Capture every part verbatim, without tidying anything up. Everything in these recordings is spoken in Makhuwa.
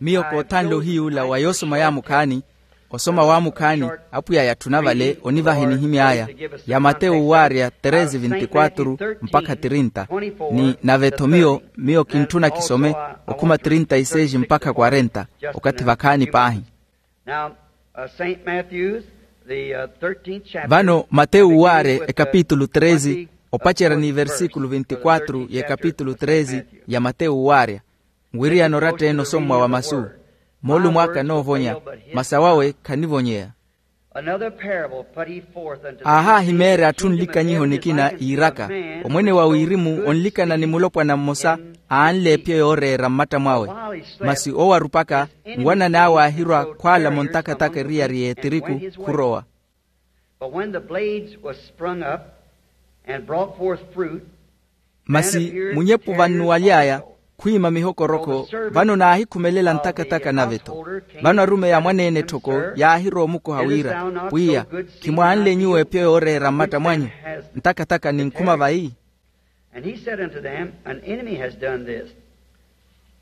Miyo koothanle ohiyuula wa yoosoma yaamukhaani. Osoma waamukhaani, apwiya yatthuna vale onivaha enihimy'aya, ya matewu waarya treze veintiquatro mpakha trinta. Ni nave-tho miyo miyo kintthuna kisome okhuma trinta y seis mpakha quarenta, okathi vakhaani paahi. Now, uh, Saint Matthew's, the, uh, thirteenth chapter. Vano matewu waarya ekapitulu treze, opacerya ni versíkulu veintiquatro y'ekapitulu treze ya matewu waarya. Nwiriyana oratta-ene osommwa wa masu. Moolumo aka anoovonya, masi awawe khanivonyeya. Another parable put he forth unto them. Aahaahimeerya atthu nlikanyiho nikina iiraka, omwene wa wirimu onlikana ni mulopwana mmosa aanle epyo yooreera mmatta mwawe. Masi owo arupaka, nwanani awe aahirwa khwaalamo ntakataka eriyari y'etiriku khurowa. But when the blades was sprung up and brought forth fruit, masi munyepu vannuwaly'aya khwiima mihokorokho, vano naahikhumelela ntakataka nave-tho. Vano arumeyi a mwaneene etthoko yaahirowa omukoha wira, pwiya, khimwaanle nyuwo epyo yooreera mmatta mwanyu? Ntakataka ninkhuma vayi? And he said unto them, an enemy has done this.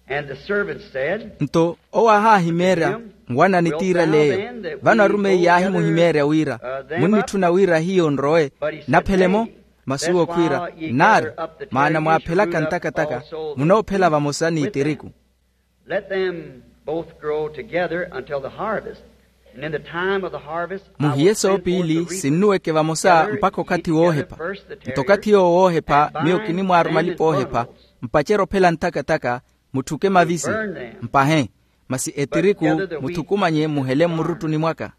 And the servants said, nto owo aahaahimeerya, nwanani tiirale eyo. Vano arumeyi yaahimuhimeerya wira, munnitthuna wira hiyo nrowe, naphele-mo? Masi owo khwiira, nnaari, maana mwaaphelaka ntakataka, munoophela vamosa n'itiriku. Let them both grow together until the harvest. And in the time of the harvest, I will send forth the reapers together, each to his work. Muhiye soopiili sinnuweke vamosa mpakha okathi woohepha. Nto okathi yoowo woohepha miyo kinimwaaruma alipa oohepha, mpacerya ophela ntakataka, mutthuke mavisi, mpahe, masi etiriku muthukumanye muhele mmuruttuni mwaka.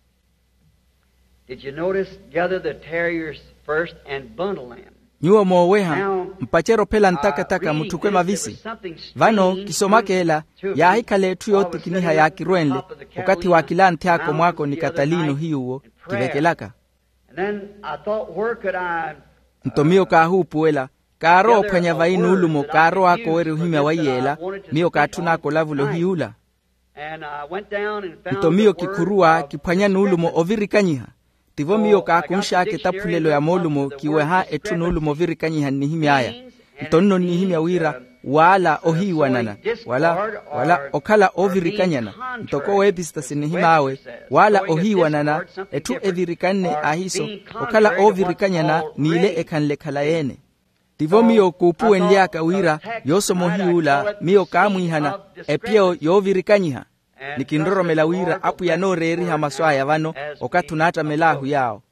Did you notice? Gather the tares first and bundle them. Nyuwo mooweha, mpacerya ophela ntakataka mutthuke mavisi. Vano kisomaka ela, yaahikhala etthu yootikiniha yaakirwenle, okathi waakilanthy'aka omwaako ni katalini ohiyuwo kivekelaka. And then I thought, where could I? Nto miyo kaahuupuwela, kaarowa ophwanya vayi nuulumo kaarow'aka owerya ohimya wa iyeela. Miyo kaatthun'aka olavula ohiyuula. Nto miyo kikhuruwa kiphwanya nuulumo ovirikanyiha. Tivo miyo kaakunx'aka etaphulelo ya moolumo kiweha etthu nuulumo ovirikanyiha nnihimy'aya. Nto nno nnihimya wira, waala ohiiwanana, wala wala okhala oovirikanyana, ntoko weepistasi nnihim'awe, waala ohiiwanana, etthu evirikanne ahiiso, okhala oovirikanyana n'ile ekhanle ekhalayi-ene. Tivo miyo kuupuwenly'aka wira, yoosoma ohiyuula miyo kaamwiihana epyo yoovirikanyiha. Ni kinroromela wira apwiya anooreeriha masu aya vano, okathi onaattamel'ahu yaawo.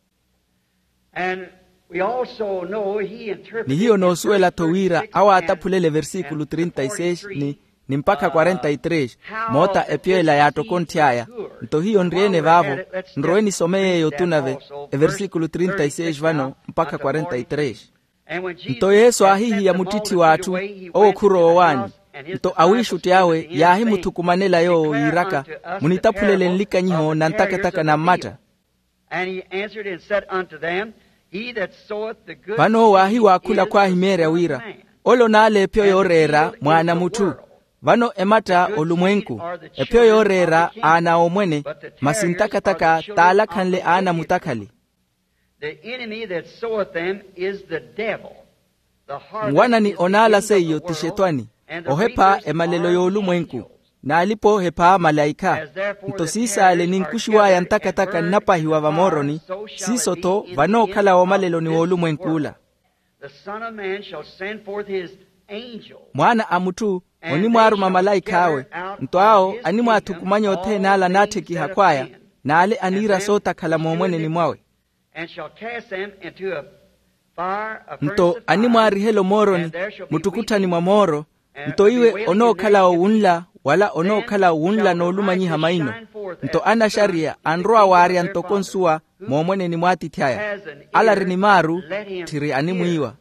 Ni hiyo noosuwela-tho wira awo aataphulela eversikulu trinta y seis ni ni mpakha quarenta y três, moota epyo ela yaattokonthy'aya. Nto hiyo nri-ene vaavo, nrowe nisome yeeyo otunave, eversikulu trinta y seis vano mpakha quarenta y três. Nto yesu aahihiya muttitthi w'atthu, owo khurowa owaani. Nto awiixutti awe yaahimuthukumanela yoowo yiiraka, munitaphulele nlikanyiho na ntakataka na mmatta. And he answered and said unto them, He that soweth the good seed. Vano owo aahiwaakhula khwaahimeerya wira, ole onaala epyo yooreera mwaana a mutthu. Vano ematta olumwenku, epyo yooreera aana a omwene, masi ntakataka t'alakhanle aana a mutakhali. The enemy that soweth them is the devil. Nwanani onaala seiyo ti xetwani, ohepha emalelo y'olumwenku, n'alipa oohepha malaikha. Nto siisaale ninkuxiw'aya ntakataka nnapahiwa vamooroni, siiso-tho vanookhala woomaleloni w'olumwenk'ula. Mwaana a mutthu onimwaaruma malaikh'awe, nto awo animwaathukumanya othene ale anaatthekiha khw'aya, n'ale aniira sootakhala moomweneni mwawe. Nto animwaarihela omooroni, muttukutthani mwa mooro. Nto iwe onookhala owunla, wala onookhala owunla n'olumanyiha maino. Nto anaxariya anrowa waarya ntoko nsuwa moomweneni mw'atiithi aya. Ale ari ni maaru, tthiri animwiiwa.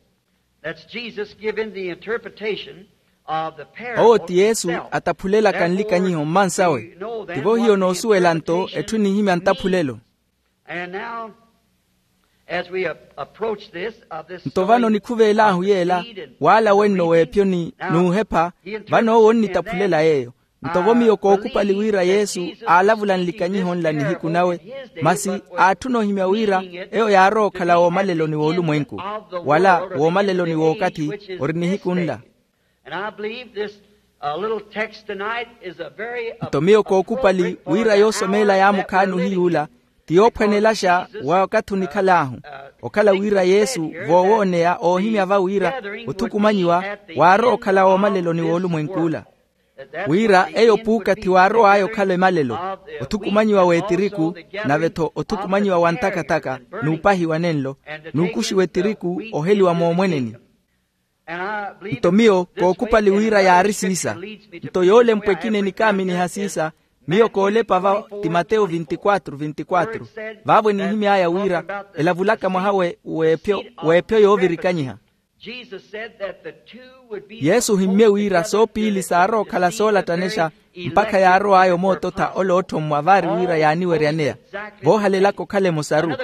Owo ti yesu ataphulelaka nlikanyiho mmansawe. Tivo hiyo noosuwela nto etthu enihimya ntaphulelo. Nto vano nikhuveel'ahu yeela, waala wenno w'epyo ni n'uhepha, vano owo onnitaphulela yeeyo. Nto vo miyo kookupali wira yesu aalavula nlikanyiho nla nihiku nawe, masi aatthuna ohimya wira eyo yaarowa okhala woomaleloni w'olumwenku, wala woomaleloni w'okathi ori nihiku nla. A little text tonight is a very nto miyo kookupali wira yoosomeela yaamukhaani ohiy'ula ti yoophwanelaxa wa wakathi onikhal'ahu, okhala wira yesu voowooneya oohimya va wira othukumanyiwa waarowa okhala woomaleloni w'olumwenk'ula, wira eyo puukathi waarow'aya okhala emalelo, othukumanyiwa w'etiriku, nave-tho othukumanyiwa wa ntakataka, n'upahiwa nenlo, n'ukuxiwa etiriku oheliwa moomweneni. Nto miyo kookupali wira yaari siisa. Nto yoolempwa ekina enikaaminiha siisa, miyo koolepa va timateyo vinti-quatro vinti-quatro, vaavo enihimy'aya wira elavulaka mwaha w'ephyo yoovirikanyiha. Yesu ohimmye wira soopiili saarowa okhala soolattanexa, mpakha yaarow'aya omoototha ole ootthommwa vaari wira yaaniweryaneya voohalelaka okhala emosaru.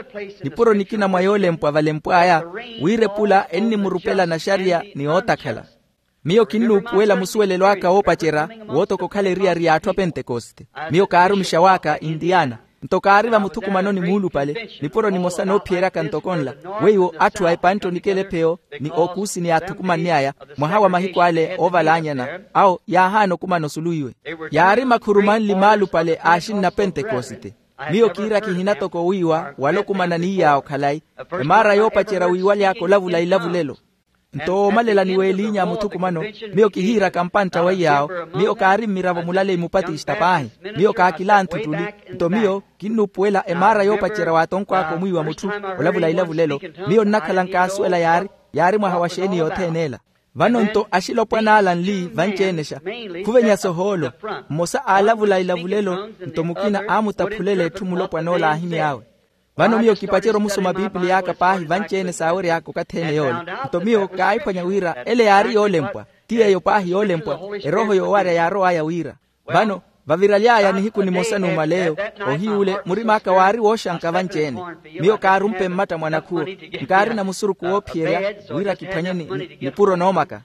Nipuro nikina mwa yoolempwa valempw'aya wira epula ennimurupela naxariya ni ootakhala. Miyo kinnuupuwela musuwelelo aka woopacerya wootoka okhala eriyari y'atthu a pentekoste. Miyo kaarumixa w'aka intiyana, nto kaari vamuthukumanoni muulupale nipuro nimosa noophiyeryaka ntoko nla, weiwo atthu a epantte onikela epheyo ni ookuusi ni aathukumanny'aya mwaha wa mahiku ale oovalaanyana, awo yaahaana okumana osulu iwe. Yaari makhuru manli maalupale a axinna a pentekoste. Miyo kiira kihina toko wiiwa wala okumana ni iy'awo khalayi, emaara yoopacerya wiiwaly'aka olavula ilavulelo. Nto woomalela ni w'eliinya a muthukumano, miyo kihiiraka mpantta wa iy'awo. Miyo kaari mmiravo mulaleyi mupatista paahi. Miyo kaakilanthu ttuli. Nto miyo kinnuupuwela emaara yoopacerya w'atonko aka omwiiwa mutthu olavula ilavulelo. Miyo nnakhala nkaasuwela yaari yaari mwaha wa xeeni yothene ela. Vano nto axilopwan'ala nli vanci-enexa, khuvenya sohoolo, mmosa aalavula ilavulelo nto mukina aamutaphulela etthu mulopwan'ola aahimy'awe. Vano miyo kipacerya omusoma pipiliya aka paahi vanci-ene saawery'aka okathi-ene yoole. Nto miyo kaahiphwanya wira ele yaari yoolempwa. Ti yeeyo paahi yoolempwa, erooho yoowarya yaarow'aya wira. Vano vaviraly'aya nihiku nimosa numaleyo, ohiy'ule murim'aka waari wooxanka vanci-ene. Miyo kaarumpe mmatta mwa nakhuwo, nkaarina musurukhu woophiyerya wira kiphwanye nipuro noomaka.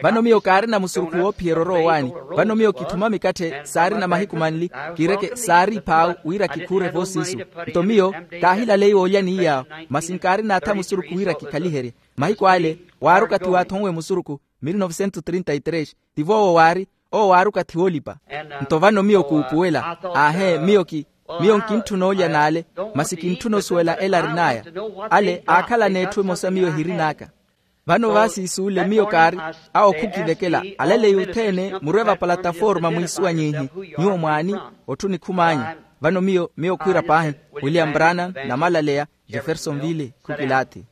Vano miyo kaarina musurukhu woophiyerya orow'ani. Vano miyo kitthuma mikatthe saarina mahiku manli, kiireke saari iphaawu wira kikhuure voosiisu. Nto miyo kaahilaleiwa olya ni iy'awo, masi nkaarina atha musurukhu wira kikhaliherye. Mahiku ale waari okathi waathonwe musurukhu, mille novecentos trinta y tres. Tivo owo waari, owo waari okathi woolipa. Nto vano miyo kuupuwela, aahe miyo ki miyo nkintthuna olya n'ale, masi kintthuna osuwela ela arin'aya. Ale aakhalana etthu emosa miyo ehirin'aka. Vano vaasiisuule miyo kaari, awo khukivekela, alaleyi othene murwe vapalataforma mwiisuwanyiihi. Nyuwo mwaani? Otthu nikhum'anyu. Vano miyo miyo khwiira paahi, william brannan, namalaleya, jeffersonville khukilaathi.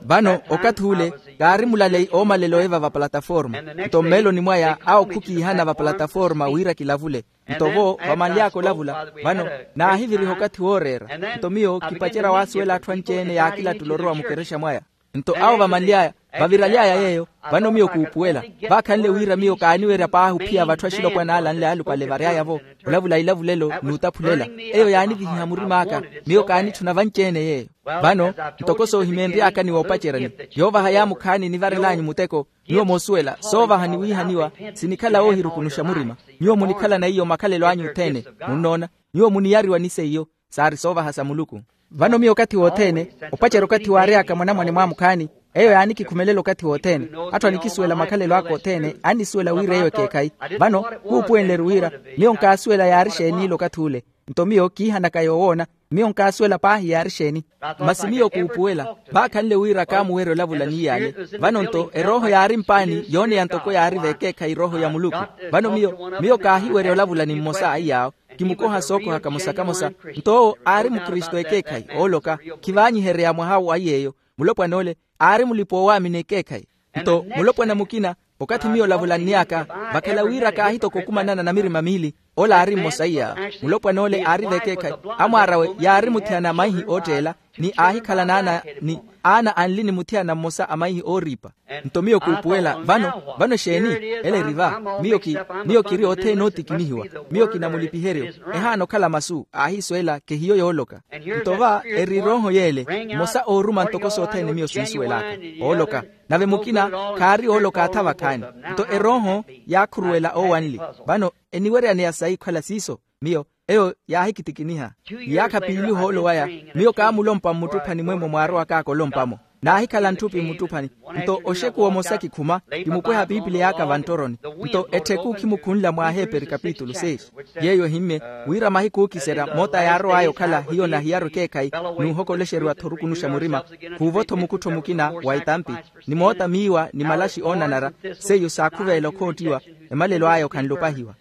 Vano okathi ule kaari mulaleyi oomalela oiva vapalataforma. Nto mmeeloni mwaya awo khukiihana vapalataforma wira kilavule. Nto vo vamanly'aka olavula, vano naahiviriha okathi wooreera. Nto miyo kipacerya waasuwela atthu anci-ene yaakilattula orowa mukerexa mwaya. Nto awo vamanly'aya, vaviraly'aya yeeyo. Vano miyo kuupuwela, vaakhanle wira miyo kaaniwerya paahi ophiya vatthu axilopwan'ala anle aalupale vary'aya-vo olavula ilavulelo n'utaphulela. Eyo yaanivihiha murim'aka. Miyo kaanitthuna vanci-ene yeeyo. Vano ntoko soohimeenry'aka ni woopaceryani, yoovaha yaamukhaani nivarel'anyu muteko. Nyuwo moosuwela soovaha ni wiihaniwa sinikhala woohirukunuxa murima. Nyuwo munikhalana iyo makhalelo anyu othene. Munnoona? Nyuwo muniyariwa ni seiyo, saari soovaha sa muluku. Vano miyo okathi wothene opacerya okathi waary'aka mwanamwane mwaamukhaani, eyo yaanikikhumelela okathi wothene. Atthu anikisuwela makhalelo aka othene annisuwela wira eyo ekeekhayi. Vano kuupuwenle-ru wira miyo nkaasuwela yaari xeen'ila okathi ule. Nto miyo kiihanaka yoowoona, miyo nkaasuwela paahi yaari xeeni. Masi miyo kuupuwela, vaakhanle wira kaamuwerya olavula n'iy'ale. Vano nto erooho yaari mpaani yooneya ntoko yaari v'ekeekhayi erooho ya muluku. Vano miyo miyo kaahiwerya olavula ni mmosa a iy'awo. Kimukoha sookoha kamosa-kamosa. Nto owo aari mukristu ekeekhayi ooloka, khivaanyiherya mwaha wa iy'eyo. Mulopwana ole aari mulipa oowaamini ekeekhayi. Nto mulopwana mukina, okathi miyo olavulann'aka, vakhala wira kaahitoka okumanana na mirima miili, ole aari mmosa iy'awo. Mulopwana ole aari v'ekeekhayi, amwaar'awe yaari muthiyana a maihi ootteela, ni aahikhalana aana ni aana anli ni muthiyana mmosa a maihi ooriipa. Nto miyo kuupuwela vano, vano exeeni? Ele eri va. Miyo ki miyo kiri othene ootikinihiwa. Miyo kinamulipiheryo. Ehaana okhala masu aahiisuwela kehiyo yooloka. Nto va eri erooho y'ele, mmosa ooruma ntoko sothene miyo sinsuwel'aka. Ooloka. Nave mukina khaari ooloka atha vakhaani. Nto erooho yaakhuruwela oowanli. Vano eniweryaneya sayi khwela siiso? Miyo eyo yaahikitikiniha. Iyaakha piili ohoolo waya, miyo kaamulompa mmuttuphanimwe-mo mwaarowak'aka olompa-mo. Naahikhala ntthupi mmuttuphani. Nto oxekuwa omosa kikhuma, kimupweha piipiliya aka vanttoroni. Nto ettheku khimukhunla mwa aheeperi kapitulu seis. Yeeyo ehimmye wira mahiku ookiserya moota yaarow'aya okhala hiyo nahiyaru ekeekhayi, n'uhokolexeriwa-tho orukunuxa murima. Khuuvo-tho mukuttho mukina wa etampi, ni moota miiwa ni malaxi oonanara, seiyo saakhuveela okhoottiwa, emalelo aya okhanle opahiwa.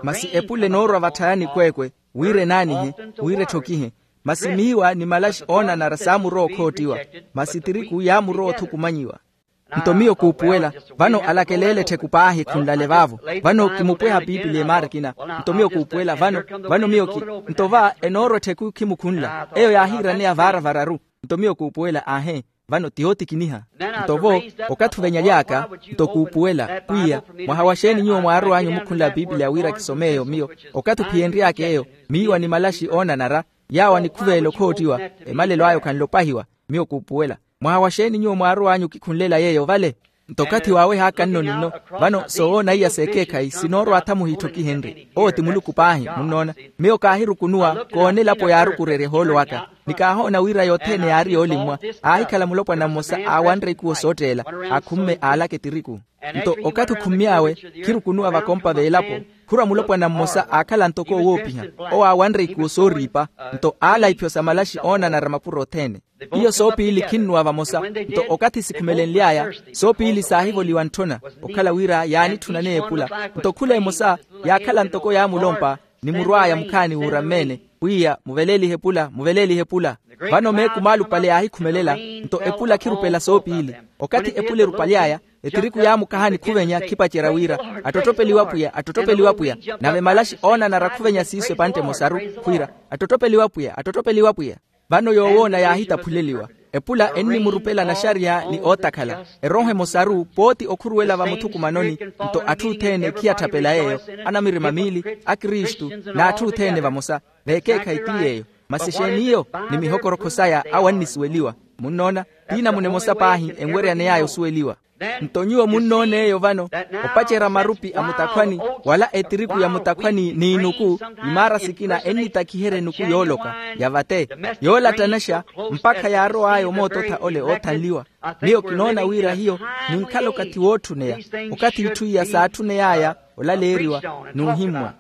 Masi epule enoorwa vatthayani kweekwe, wira enaanihe, wira etthokihe. Masi miiwa ni malaxi oonanara saamurowa okhoottiwa, masi tiriku yaamurowa othukumanyiwa. Nto miyo kuupuwela, vano alakeleele ettheku paahi khunlale vaavo. Vano kimupweha piipiliya emaara ekina. Nto miyo kuupuwela vano, vano miyo ki, nto va enoorwa ettheku khimukhunla eyo yaahiiraneya vaara vararu. Nto miyo kuupuwela aahe, vano ti yootikiniha. Nto vo, okathi ovenyaly'aka, nto kuupuwela pwiya, mwaha wa xeeni nyuwo mwaarow'anyu omukhunla piipiliya wira kisom'eyo miyo? Okathi ophiyenry'aka eyo, miiwa ni malaxi oonanara, yaawo anikhuvelela okhoottiwa, emalelo aya okhanle opahiwa. Miyo kuupuwela, mwaha wa xeeni nyuwo mwaarow'anyu okikhunlela yeeyo vale? Nto okathi waawehaaka nnoni nno, vano soowoona iya s'ekeekhayi sinoorwa atha muhiitthokihenrye. Owo ti muluku paahi munnoona. Miyo kaahirukunuwa koona elapo yaarukurerya ehoolo waka, ni kaahoona wira yothene yaari yoolimmwa. Aahikhala mulopwana mmosa aawanre ikuwo sootteela, akhumme aalaka etiriku. Nto okathi okhummy'awe, khirukunuwa vakompa v'elapo, khurwa mulopwana mmosa aakhala ntoko owoopiha, owo aawanre ikuwo sooriipa. Nto aala iphyo sa malaxi oonanara mapuro othene. Iyo soopiili khinnuwa vamosa. Nto okathi sikhumelenly'aya, soopiili saahivoliwa ntthona, okhala wira yaanitthunaneye epula. Nto khula emosa yaakhala ntoko yaamulompa, ni murw'aya mukhaani wuurammeene, pwiya muveleelihe epula, muveleelihe epula. Vano meeku maalupale yaahikhumelela, nto epula khirupela soopiili. Okathi epula erupaly'aya, etiriku yaamukaha ni khuvenya khipacerya wira, attottopeliwa pwiya, attottopeliwa pwiya. Nave malaxi oonanara khuvenya siiso epantte emosaru, khwiira, attottopeliwa pwiya, attottopeliwa pwiya. Vano yoowoona yaahitaphuleliwa. Epula ennimurupela naxariya ni ootakhala. Erooho emosaru pooti okhuruwela vamuthukumanoni. Nto atthu othene khiyatthapela yeeyo, anamirima miili, akristu, n'atthu othene vamosa, veekeekhayi ti yeeyo. Masi exeeni iyo? Ni mihokorokho saya awo annisuweliwa. Munnoona, ti namuna emosa paahi enwereyaney'aya osuweliwa. Nto nyuwo munnoona eyo vano, opacerya marupi a mutakhwani, wala etiriku ya mutakhwani n'inuku, imaara sikina ennitakhiherya enuku yooloka, ya vate, yoolattanaxa, mpakha yaarow'aya omoototha ole oothanliwa. Miyo kinoona wira hiyo ninkhala okathi wootthuneya, okathi itthu iya saatthuneyaaya olaleeriwa, n'uhimmwa.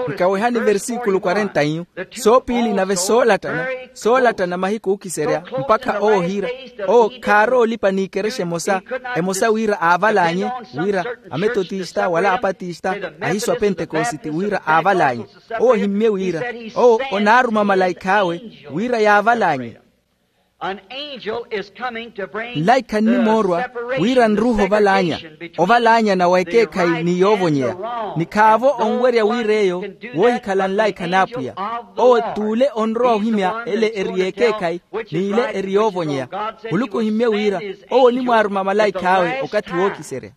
Nkawehani versikulu kwarenta iyu, soopiili nave soolattana, soolattana mahiku ookiserya, mpakha owo ohiira, owo khaarowa olipa n'ikerexa emosa, emosa wira aavalaanye, wira ametotista wala apatista, ahisu a pentekositi wira aavalaanye. Owo ohimmye wira, owo onaaruma malaikh'awe, wira yaavalaanye. Nlaikha nnimoorwa wira nruuhe ovalaanya, ovalaanyana wa ekeekhayi ni yoovonyeya. Ni khaavo onwerya wira eyo woohikhala nlaikha n'apwiya. Owo t'ule onrowa ohimya ele eri y'ekeekhayi, n'ile eri yoovonyeya. Muluku ohimmye wira owo onimwaaruma malaikh'awe okathi wookiserya.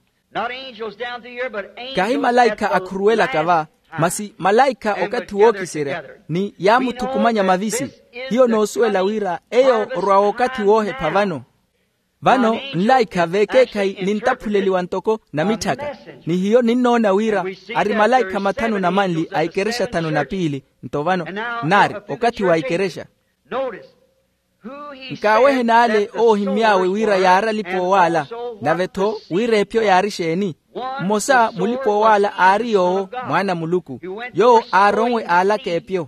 Kahi malaikha akhuruwelaka va, masi malaikha okathi wookiserya, ni yaamuthukumanya mavisi. Hiyo noosuwela wira eyo orwa okathi woohepha vano. Vano nlaikha veekeekhayi nintaphuleliwa ntoko namitthaka. Ni hiyo ninnoona wira ari malaikha mathanu na manli a ikerexa thanu na piili. Nto vano nari okathi wa ikerexa. Nkaawehe n'ale owo ohimmy'awe wira yaari alipa-oowaala, nave-tho wira epyo yaari exeeni? Mmosa mulipa-oowaala aari yoowo, mwaana a muluku, yoowo aaronwe aalaka epyo.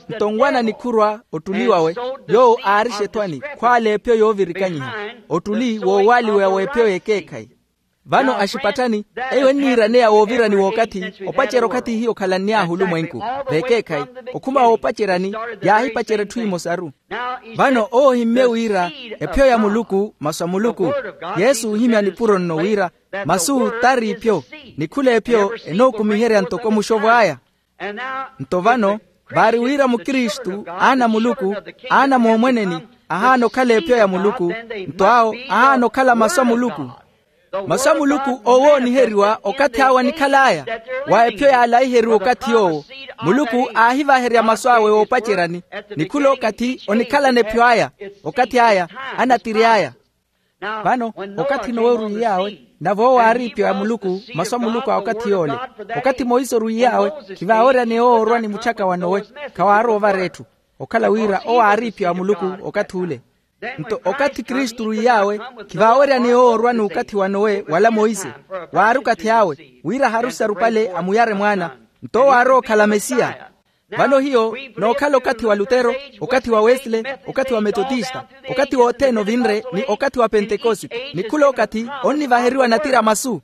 Nto nwana nikhurwa ottuli wawe, yoowo aarixa ethwani khwaala epyo yoovirikanyiha, ottuli woowaaliweya w'epyo y'ekeekhayi. Vano axipatthani, eyo enniiraneya woovirani w'okathi, opacerya okathi hiyo okhalann'ahu olumwenku, veekeekhayi, okhuma woopaceryani, yaahipacerya etthu emosaru. Vano owo ohimmye wira epyo ya muluku masu a muluku. Yesu oohimya nipuro nno wira, masu t'ari ipyo, ni khula epyo enookumiherya ntoko muxovo aya. Nto vano, vaari wira mukristu, aana a muluku, aana a moomweneni, ahaana okhala epyo ya muluku. Nto awo ahaana okhala masu a muluku. Masu a muluku oowooniheriwa okathi awo anikhal'aya, wa epyo yaalaiheriwa okathi yoowo. Muluku aahivaherya masu awe woopaceryani, ni khula okathi onikhalana epyo aya, okathi aya, anatiri aya. Vano, okathi-nowe orwiy'awe, nave owo aari ipyo ya muluku, masu a muluku a okathi yoole. Okathi monse orwiy'awe, khivaaweryaneya owo orwa ni mutthyaka wa nowe, khawaarowa ovara etthu. Okhala wira owo aari ipyo ya muluku okathi ule. Nto okathi kristu wiy'awe, khivaaweryaneya owo orwa n'ukathi wa nowe wala monse. Waari okathi awe wira aharusi arupale amuyare mwaana. Nto owo aarowa okhala mesiya. Vano hiyo nookhala okathi wa lutero, okathi wa wesle, okathi wa metotista, okathi wothene ovinre ni okathi wa pentekoste, ni khula okathi onnivaheriwa natiri a masu.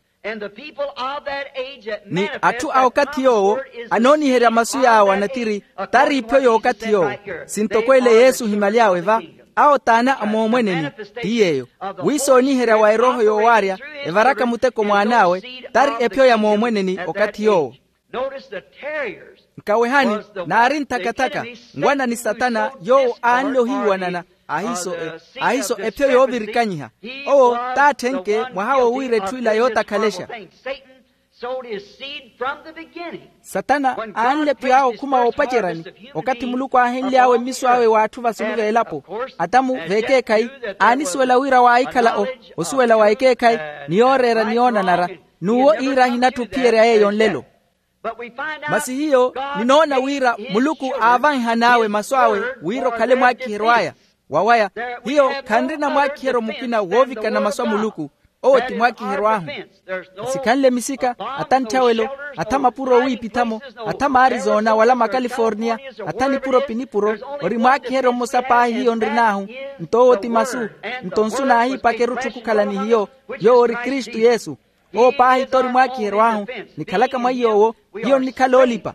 Ni atthu a okathi yoowo anooniherya masu yaawo anatiri, tari ipyo y'okathi yoowo. Sintoko ele yesu ohimaly'awe va, awo t'ana a moomweneni. Ti yeeyo, wi sooniherya wa erooho yoowaarya evaraka muteko mwaan'awe, tari epyo ya moomweneni okathi yoowo. Nkawehani, naari nthakathaka, ngwana ni satana yoowo aanle ohiiwanana. Ahiso epyo yoovirikanyiha. Owo t'atthenke mwaha wowiira etthu ila yootakhalexa. Satana aanle epyo awe okhuma woopaceryani, okathi muluku aahenly'awe mmiso awe w'atthu vasulu v'elapo. Atamu v'ekeekhayi aanisuwela wira waahikhala osuwela wa ekeekhayi, ni yooreera ni yoonanara. N'uwo iira ahinatthi ophiyerya yeeyo nlelo. Masi hiyo ninoona wira muluku aavanhan'awe masu awe wira okhale mwaakiheryo aya. Wawaya hiyo khanrina mwaakiheryo mukina woovikana masu a muluku. Owo ti mwaakiheryo ahu. Sikhanle misika, atha ntthawelo, atha mapuro owiipitha-mo, atha maarizona wala makaliforniya, atha nipuro pi nipuro. Ori mwaakiheryo mmosa paahi hiyo nrin'ahu. Nto owo ti masu. Nto nsu naahiipaka erutthu khukhala ni hiyo, yoowo ori kristu yesu. Owo paahi t'ori mwaakiheryo ahu. Nikhalaka mwa iy'owo hiyo nnikhala oolipa.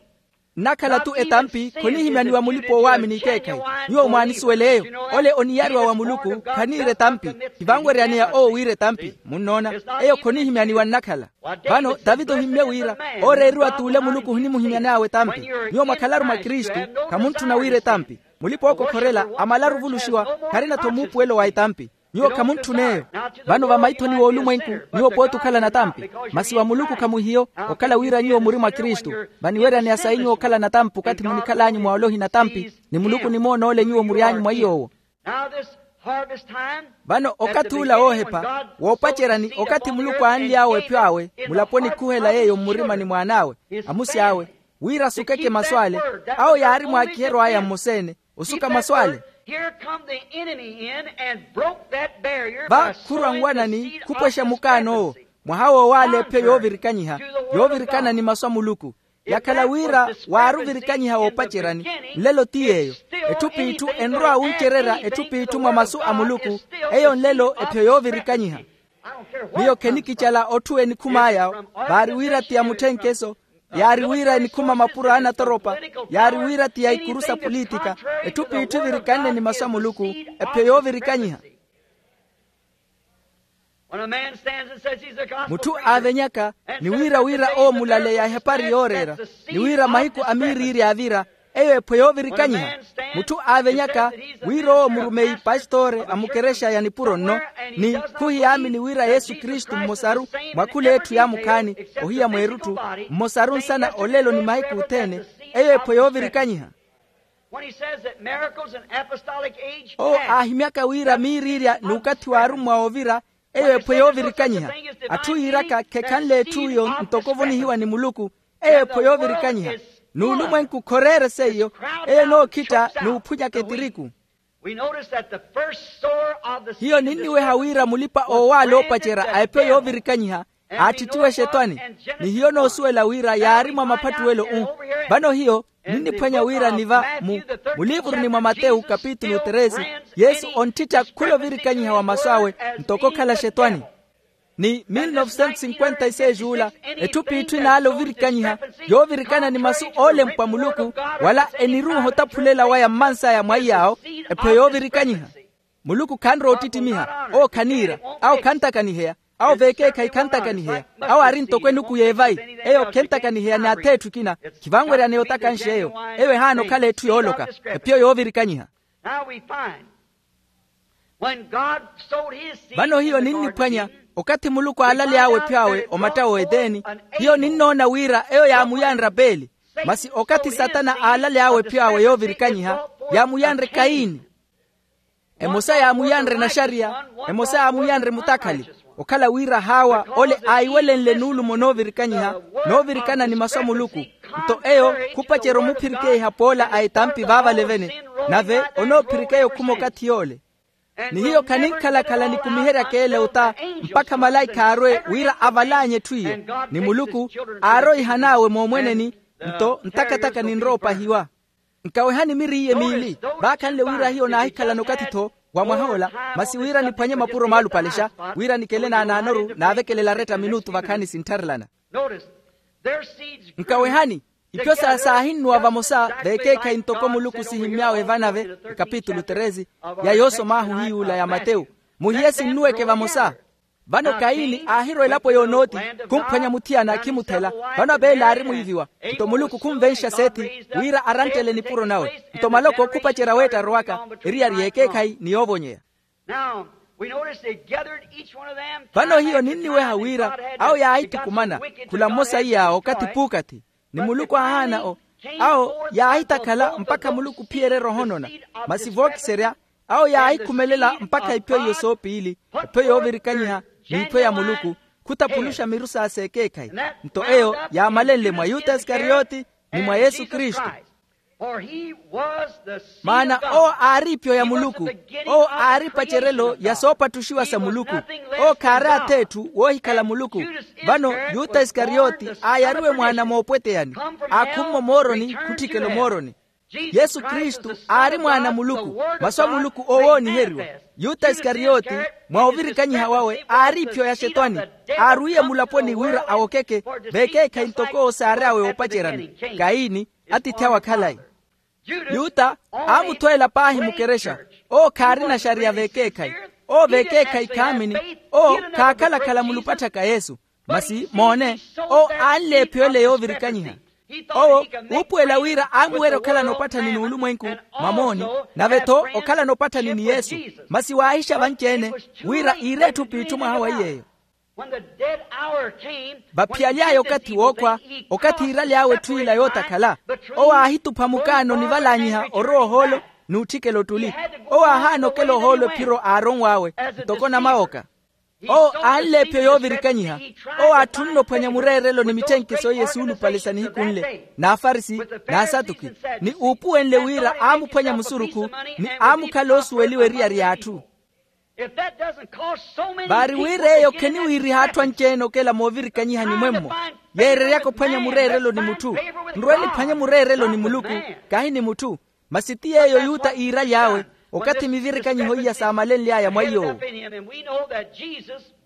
Nnakhala-tu etampi khonihimyaniwa mulipa-owaamini ekeekhayi. Nyuwo mwaanisuwel'eyo. Ole oniyariwa wa muluku khaniira etampi. Khivanweryaneya owo wiira etampi munnoona. Eyo khonihimyaniwa nnakhala. Vano tavita ohimmye wira ooreeriwa t'ule muluku ohinimuhimyan'awe etampi. Nyuwo mwakhalaru mwa kristu, khamuntthuna wiira etampi. Mulipa-ookokhorela amalaru ovuluxiwa. Kharina-tho muupuwelo wa etampi. Nyuwo khamuntthun'eyo. Vano vamaithoni w'olumwenku nyuwo pooti okhala natampi. Masi wa muluku khamuhiyo. Okhala wira nyuwo muri mwa kristu, vaniweryaneya sayi nyuwo okhala natampi okathi munikhal'anyu mwa ole ohinatampi, ni muluku onimoona ole nyuwo mury'anyu mwa iy'owo. Vano okath'ula woohepha woopaceryani okathi muluku aanly'awe epyo awe mulaponi khuhela yeeyo mmurimani mw'an'awe, amusi awe, wira asukeke masu ale. Awo yaari mwaakiheryo aya mmosa-ene. Osuka masu ale. Va khurwa nwanani khupwexa mukaan'owo, mwaha woowaala epyo yoovirikanyiha, yoovirikana ni masu a muluku. Yakhala wira waari ovirikanyiha woopaceryani, nlelo ti yeeyo. Etthu p'itthu enrowa wuncererya etthu p'itthu mwa masu a muluku. Eyo nlelo epyo yoovirikanyiha. Miyo khenikicala otthu enikhum'aya. Vaari wira ti ya mutthenkeso, yaari wira enikhuma mapuro a anatoropa, yaari wira ti ya ikuru sa politika. Etthu p'itthu evirikanne ni masu a muluku, epyo yoovirikanyiha. Mutthu aavenyaka ni wira wira owo mulaleya ehapari yooreera, ni wira mahiku a miiriiri aavira, eyo ephwe yoovirikanyiha. Mutthu aavenyaka wira owo murumeyi pastore a mukerexa ya nipuro nno, ni khuhiyaamini wira yesu kristu mmosaru mwa khul'etthu yaamukhaani, ohiya mweerutthu, mmosaru nsana olelo ni mahiku othene, eyo ephwe yoovirikanyiha. Owo aahimyaka wira miiriirya n'ukathi w'arummwa oovira, eyo ephwe yoovirikanyiha. Atthu yiiraka khekhanle etthu iyo ntoko ovonihiwa ni muluku, eyo ephwe yoovirikanyiha. N'ulumwenku khoreere seiyo, eyo enookhitta n'uphunyaka etiriku. Hiyo ninniweha wira mulipa-oowaala oopacerya a epyo yoovirikanyiha, aattittiwa exetwani. Ni hiyo noosuwela wira yaari mwa maphattuwelo-u. Vano hiyo ninniphwanya wira ni va mu muliivuruni mwa matewu kapitulu tresi, yesu onttitthi akhula ovirikanyiha wa masu awe ntoko okhala xetwani. Ni mil novecentos cinquenta e seis ula, etthu p'itthu enaala ovirikanyiha, yoovirikana ni masu oolempwa muluku, wala eniruuha otaphulela waya mmansaya mwa iy'awo, ephwe yoovirikanyiha. Muluku khanrowa ottittimiha, owo khaniira, awo khantakaniheya, awo v'ekeekhayi khantakaniheya, awo aari ntoko enuku y'evayi, eyo khentakaniheya ni ath'etthu ekina, khivanweryaneya otakanxa eyo, eyo ehaana okhala etthu yooloka, ephiyo yoovirikanyiha. Vano hiyo ninniphwanya, okathi muluku aalaly'awe epyo awe omatta w'eteni, hiyo ninnoona wira eyo yaamuyanre apeli. Masi okathi satana aalaly'awe epyo awe yoovirikanyiha, yaamuyanre kayini. Emosa yaamuyanre naxariya, emosa yaamuyanre mutakhali. Okhala wira haawa ole aahiwelenle nuulumo noovirikanyiha, noovirikana ni masu a muluku. Nto eyo khupacerya omuphirikeiha poola a etampi vaavalevene. Nave onoophirikeya okhuma okathi yoole. Ni hiyo khaninkhalakhala nikumiheryaka ele ota mpakha malaikha aarwe wira avalaanye etthu iyo. Ni muluku aarwe ihan'awe moomweneni. Nto ntakataka ninrowa opahiwa. Nkawehani miri iye miili. Vaakhanle wira hiyo naahikhalana okathi-tho wa mwah'ola, masi wira niphwanye mapuro maalupalexa, wira nikele naanaanoru naavekelela aretta minutu vakhaani sinttharelana. Nkawehani, ipyo sa saahinnuwa vamosa veekeekhayi ntoko muluku sihimmy'awe evanave. Ekapitulu treze ya yoosom'ahu hiy'ula ya matewu. Muhiye sinnuweke vamosa. Vano kayini aahirwa elapo y'onooti, khumphwanya muthiyana akhimuthela. Vano abeli aari mwiiviwa. Nto muluku khunvenxa sethi wira aranttele nipuro nawe. Nto maloko khupacerya weetta arowaka, eriyari y'ekeekhayi ni yoovonyeya. Vano hiyo ninniweha wira awo yaahitukumana khula mmosa iya okathi p'ukathi. Ni muluku aahaana o awo yaahitakhala mpakha muluku ophiyerya erooho onona. Masi vookiserya awo yaahikhumelela mpakha iphyo iyo soopiili, iphyo yoovirikanyiha ni iphyo ya muluku, khutapuluxa miru sa s'ekeekhayi. Nto eyo yaamalenle mwa yuta isikariyoti ni mwa yesu kristu. Maana owo aari ipyo ya muluku. Owo aari epacerelo ya soopattuxiwa sa muluku. Owo khaari ath'etthu woohikhala muluku. Vano yuta isikariyoti aayariwe mwaana moopweteyani, aakhummo mooroni khutthikela omooroni. Yesu kristu aari mwaana a muluku. Masu a muluku owooniheriwa. Yuta isikariyoti, mwa ovirikanyiha wawe aari ipyo ya xetwani. Aarwiye mulaponi wira awokeke veekeekhayi ntoko owo saary'awe woopaceryani. Kayini, atiithi awe akhalayi. Yuta aamuthweela paahi mukerexa. Owo khaarina xariya veekeekhayi. Owo veekeekhayi khaamini. Owo khaakhala-khala mulupatthaka yesu. Masi moone, owo aanleephiwele yoovirikanyiha. Owo uupuwela wira aamuwerya okhalana opatthani n'ulumwenku mwa mooni, nave-tho okhalana opatthani ni yesu. Masi waahixa vanci-ene wira iire etthu p'itthu mwaha wa iy'eyo. Vaphiyaly'aya okathi wookhwa, okathi iiraly'awe etthu ila yootakhala, owo aahitupha mukaano onivalaanyiha orowa ohoolo n'utthikela ottuli. Owo aahaana okela ohoolo ephiro aaronw'awe ntoko namawoka. Owo aanleephiwe yoovirikanyiha. Owo aatthunne ophwanya mureerelo ni mitthenkisi oiye suulupale sa nihiku nle n'afarisi n'asatuki, ni uupuwenle wira aamuphwanya musurukhu ni aamukhala oosuweliwa eriyari y'atthu. Vaari wira eyo kheniwiiriha atthu anci-ene okela moovirikanyihani mwemmo, yeereryaka ophwanya mureerelo ni mutthu. Nrwe niphwanye mureerelo ni muluku, kahi ni mutthu. Masi ti yeeyo yuta iiraly'awe okathi mivirikanyiho iya saamalenly'aya mwa iy'owo.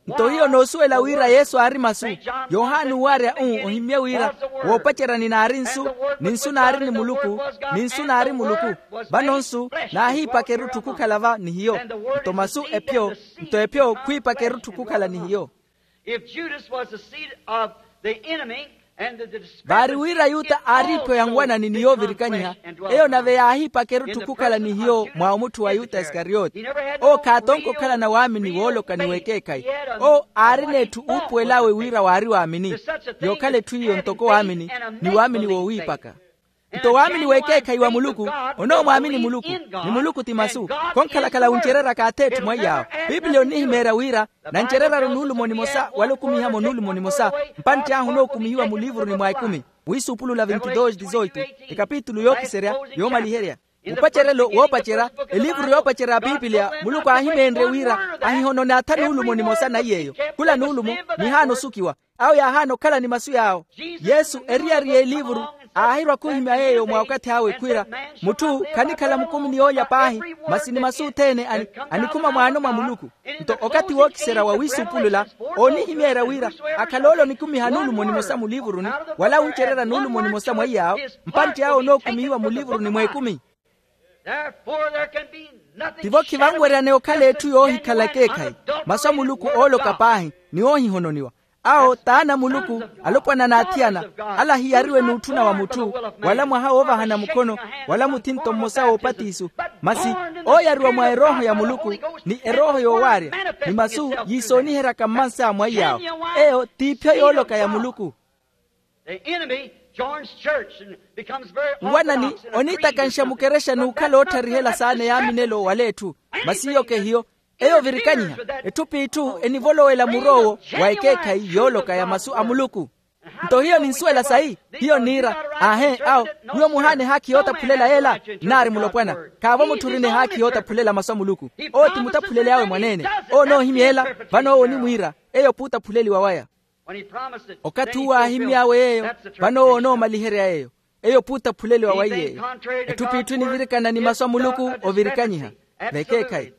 Nto hiyo noosuwela wira yesu aari masu. Yohani uuwarya-u ohimmye wira, woopacerya ni naari nsu, ni nsu naari ni muluku, ni nsu naari muluku. Vano nsu naahiipaka erutthu khukhala va ni hiyo. Nto masu ephyo, nto ephyo khwiipaka erutthu khukhala ni hiyo. If Judas was the seed of the enemy and the discrepancy, vaari wira yuta aari ipyo ya nwanani ni yoovirikanyiha. Eyo nave yaahiipaka erutthu khukhala ni hiyo mwa omutthu wa yuta isikariyoti. Owo khaatonka okhalana waamini wooloka ni w'ekeekhayi. Owo aarina etthu uupuwel'awe wira waari waamini, yookhala etthu iyo ntoko waamini, ni waamini woowiipaka. Nto waamini w'ekeekhayi wa muluku onoomwaamini muluku, ni muluku ti masu. Khonkhalakhala wuncereryaka ath'etthu mwaiy'awo. Piipiliya onnihimeerya wira nancereryaru nuulumo nimosa wala okumiha-mo nuulumo nimosa. Mpantti ahu onookumihiwa mulivuruni mwa ekumi. Wiisuupulula vintidoosi dizoitu, ekapitulu yookiserya yoomaliherya. Upacerelo woopacerya, elivuru yoopacerya ya piipiliya muluku aahimeenrye wira ahihonone atha nuulumo nimosa naiy'eyo. Khula nuulumo nihaana osukiwa. Awo yaahaana okhala ni masu yaawo. Yesu eriyari y'elivuru aahirwa khuhimya yeeyo mwa okathi awe khwiira, mutthu khanikhala mukumi ni yoolya paahi, masi ni masu othene anikhuma mwaano mwa muluku. Nto okathi wookiserya wa wiisuupulula oonihimeerya wira akhale ole onikumiha nuulumo nimosa mulivuruni, wala wuncererya nuulumo nimosa mwaiy'awo. Mpantti awo onookumihiwa mulivuruni mw'ekumi. Tivo khivanweryaneya okhala etthu yoohikhala ekeekhayi. Masu a muluku ooloka paahi ni oohihononiwa. Awo t'ana a muluku, alopwana n'athiyana. Ala hiyariwe n'utthuna wa mutthu, wala mwaha woovahana mukhono, wala muthinto mmosa w'opatiso. Masi ooyariwa mwa erooho ya muluku, ni erooho yoowaarya, ni masu yiisooniheryaka mmansa a mwaiy'awo. Eyo t'iphyo yooloka ya muluku. Nwanani oniitakanxa mukerexa n'ukhala ootharihela saana yaaminelo wala etthu. Masi iyo kehiyo. Eyo ovirikanyiha, etthu p'itthu enivolowela mur'owo wa ekeekhayi yooloka ya masu a muluku. Nto hiyo ninsuwela sayi. Hiyo nniira, aahe awo, nyuwo muhaana ehaakhi yootaphulela yeela? Nnaari mulopwana. Khaavo mutthu orina ehaakhi yootaphulela masu a muluku. Owo ti mutaphuleli awe mwaneene. Owo onoohimya ela. Vano owo onimwiira, eyo p'utaphuleliwa waya. Okathi uwo aahimmy'awe yeeyo, vano owo onoomaliherya yeeyo. Eyo p'utaphuleliwa waiye eyo. Etthu p'itthu enivirikana ni masu a muluku ovirikanyiha. Vekeekhayi.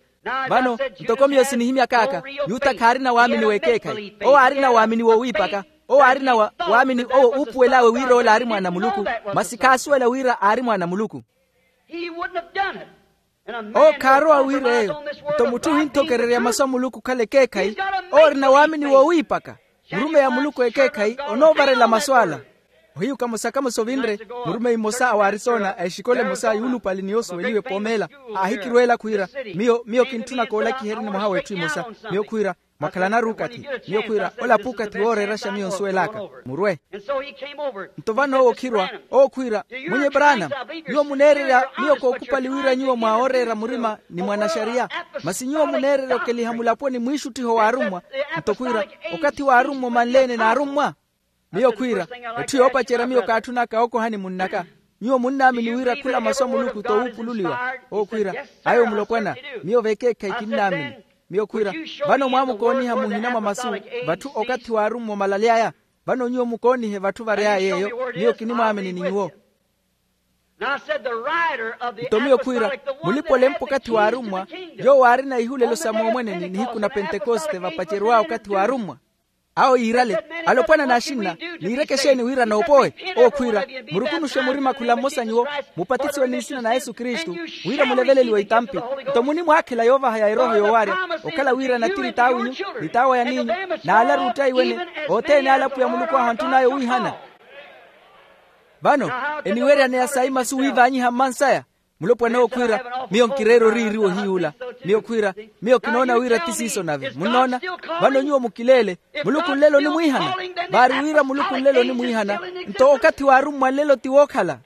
Vano, ntoko miyo sinihimyak'aka, yuta khaarina waamini w'ekeekhayi. Owo aarina waamini wowiipaka. Owo aarina wa waamini owo uupuwel'awe wira ola aari mwaana a muluku. Masi khaasuwela wira aari mwaana a muluku. Owo khaarowa wira eyo. Nto mutthu ohinthokererya masu a muluku okhala ekeekhayi, owo orina waamini wowiipaka. Murumeyi a muluku ekeekhayi onoovarela masu ala. Ohiyu kamosa kamosa ovinre, murumeyi mmosa a waarisona a exikola emosa yuulupale ni yoosuweliwa epoomeela, aahikirweela khwiira, miyo miyo kintthuna koolakiheryani mwaha w'etthu emosa. Miyo khwiira, mwakhalanaru okathi. Miyo khwiira, ola p'ukathi wooreeraxa miyo nsuwel'aka. Murwe. Nto vano owo okhirwa, owo khwiira, mwinyi branam, nyuwo muneererya miyo kookhupali wira nyuwo mwawooreera murima ni mwanaxariya. Masi nyuwo muneererya okeliha mulaponi mwiixuttiho w'arummwa. Nto khwiira, okathi w'arummwa omanleene n'arummwa. Miyo khwiira, etthu yoopacerya miyo kaatthunaka okohani munn'aka. Nyuwo munnaamini wira khula masu a muluku t'owuupululiwa. Owo khwiira, ayo mulopwana, miyo vekeekhayi kinnaamini. Miyo khwiira, vano mwaamukooniha muhina mwa masu, vatthu okathi w'arummwa omalaly'aya. Vano nyuwo mukoonihe vatthu vary'aya yeeyo. Miyo kinimwaamini ni nyuwo. Nto miyo khwiira, mulipa olempa okathi w'arummwa, yoowo aarina ihulelo sa moomweneni nihiku na pentekoste vapacerw'awe okathi w'arummwa. Awo yiirale, alopwana n'axinna, niireke exeeni wira noopowe? Owo khwiira, murukunuxe murima khula mmosa nyuwo, mupatisiwe ni nsina na yesu kristu, wira muleveleliwe itampi. Nto munimwaakhela yoovaha ya erooho yoowarya, okhala wira natiri t'awinyu, ni t'awo yaniinyu, n'alaru ottaiwene, othene ale apwiya muluku ahu antthun'aya owiihana. Vano, eniweryaneya sayi masu wiivaanyiha mmansaya? Mulopwana owo khwiira, miyo nkireera oriiriwa ohiy'ula. Miyo khwiira, miyo kinoona wira ti siiso nave munnoona. Vano nyuwo mukileele, muluku nlelo onimwiihana. Vaari wira muluku nlelo onimwiihana, nto okathi w'arummwa nlelo ti wookhala.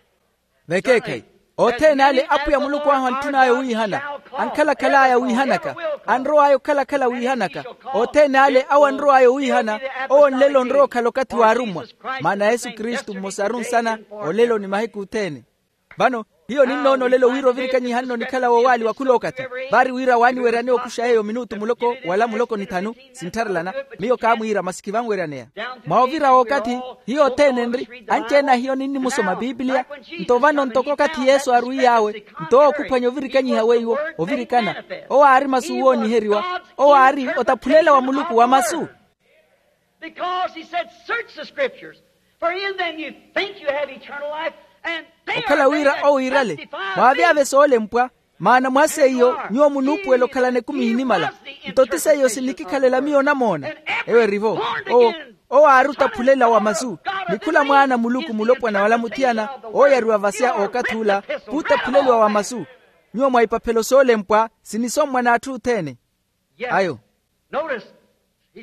Vekeekhayi, othene ale apwiya muluku ahu antthun'aya owiihana, ankhalakhal'aya wiihanaka, anrow'aya okhalakhala wiihanaka, othene ale awo anrow'aya owiihana, owo nlelo onrowa okhala okathi w'arummwa. Maana yesu kristu mmosaru nsana, olelo ni mahiku othene. Vano, hiyo ninnoona olelo wira ovirikanyiha-no onikhala woowaaliwa khul'okathi. Vaari wira waaniweryaneya okuxa yeeyo minutu muloko wala muloko ni thanu, sinttharelana. Miyo kaamwiira masi khivanweryaneya. Mwa ovira w'okathi, hiyo othene enri, anci-ene a hiyo ninnimusoma pipiliya. Nto vano ntoko okathi yesu aarwiy'awe, nto owo okhuphwanya ovirikanyiha weiwo, ovirikana. Owo aari masu wooniheriwa. Owo aari otaphulela wa muluku wa masu. Because he said, search the scriptures, for in them you think you have eternal life, and they are they that testify of me. Okhala wira owo iirale, mwaavyavye soolempwa, maana mwa seiyo nyuwo munuupuwela okhalana ekumi ehinimala. Nto ti seiyo sinikikhalela miyo onamoona. Eyo eri-vo. Owo, owo aari otaphulela wa masu, ni khula mwaana a muluku mulopwana wala muthiyana ooyariwa vasia ookathi ula, p'utaphulela wa masu. Nyuwo mwa ipaphelo soolempwa sinisommwa n'atthu othene. Ayo.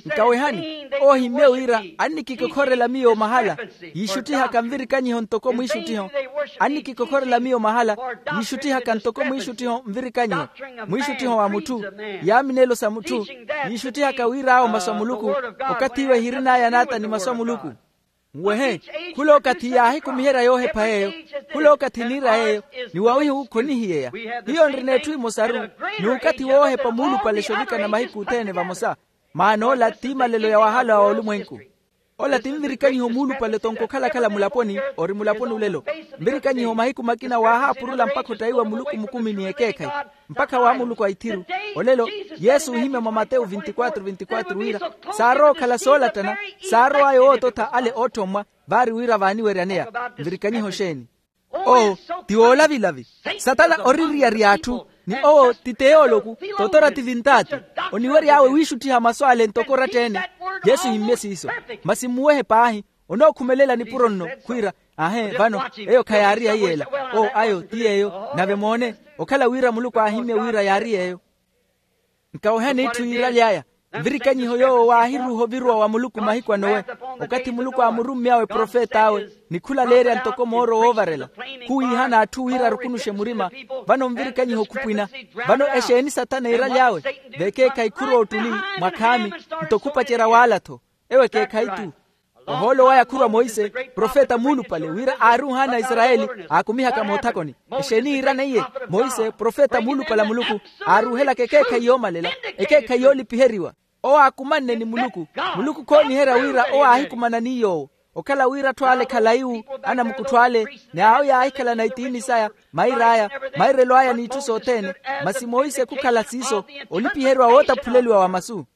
Nkawehani, owo ohimmye wira annikikokhorela miyo mahala, yiixuttihaka nvirikanyiho ntoko mwiixuttiho. Annikikokhorela miyo mahala, yiixuttihaka ntoko mwiixuttiho nvirikanyiho, mwiixuttiho wa mutthu, yaaminelo sa mutthu, yiixuttihaka wir'awo masu a muluku. Okathi iwe ehirin'aya naata ni masu a muluku. Nwehe, khul'okathi yaahikumiherya yoohepha yeeyo, khul'okathi niira yeeyo, ni wawihiwu khonihiyeya. Hiyo nrina etthu emosaru, n'ukathi woohepa muulupale xovikana mahiku othene vamosa. Maana ola ti malelo ya wahala wa olumwenku. Ola ti nvirikanyiho muulupale tonkokhalakhala mulaponi ori mulaponi olelo. Nvirikanyiho mahiku makina waahaapurula mpakha ottaiwa muluku mukumi ni ekeekhayi, mpakha wa muluku a ithiru. Olelo, yesu oohimya mwa matewu vinti-kwatru vinti-kwatru wira, saarowa okhala soolattana, saarow'aya owoototha ale oothommwa. Vaari wira vaaniweryaneya nvirikanyiho xeeni? Oo, ti woolavilavi. Satana ori nriyari y'atthu, ni owo ti teyooloku, totora ti vintaati. Oniwery'awe wiixutthiha masu ale ntoko oratta-ene. Yesu ohimmye siiso. Masi mmuwehe paahi, onookhumelela nipuro nno khwiira, ahe vano, eyo khayaari ya iyeela. Oo, ayo ti yeeyo. Nave moone, okhala wira muluku aahimmye wira yaari yeeyo. Nkawehani itthu yiiraly'aya, nvirikanyiho yoowo waahiruuha oviruwa wa muluku mahiku a nowe. Okathi muluku aamurumy'awe profet'awe, ni khulaleerya ntoko mooro woovarela, khuwiihana atthu wira arukunuxe murima. Vano nvirikanyiho khupwina. Vano exeeni sathana iiraly'awe? Vekeekhayi khurowa ottuli, mwa khaami, nto khupacerya waala-tho. Ewo ekeekhayi-tu. Ohoolo waya khurwa monse profeta muulupale wira aari ohaana aisarayeli aakumihaka moothakoni. Exeeni iirana iye? Monse profeta muulupale a muluku aaruuhelaka ekeekhayi yoomalela, ekeekhayi yoolipiheriwa. Owo aakumanne ni muluku. Muluku khooniherya wira owo aahikumana ni yoowo. Okhala wira atthu ale khalayi-wu anamukuttho ale, ni awo yaahikhalana itiini saya, mair'aya, mairelo aya n'itthu sothene. Masi monse khukhala siiso, olipiheriwa wootaphuleliwa wa masu.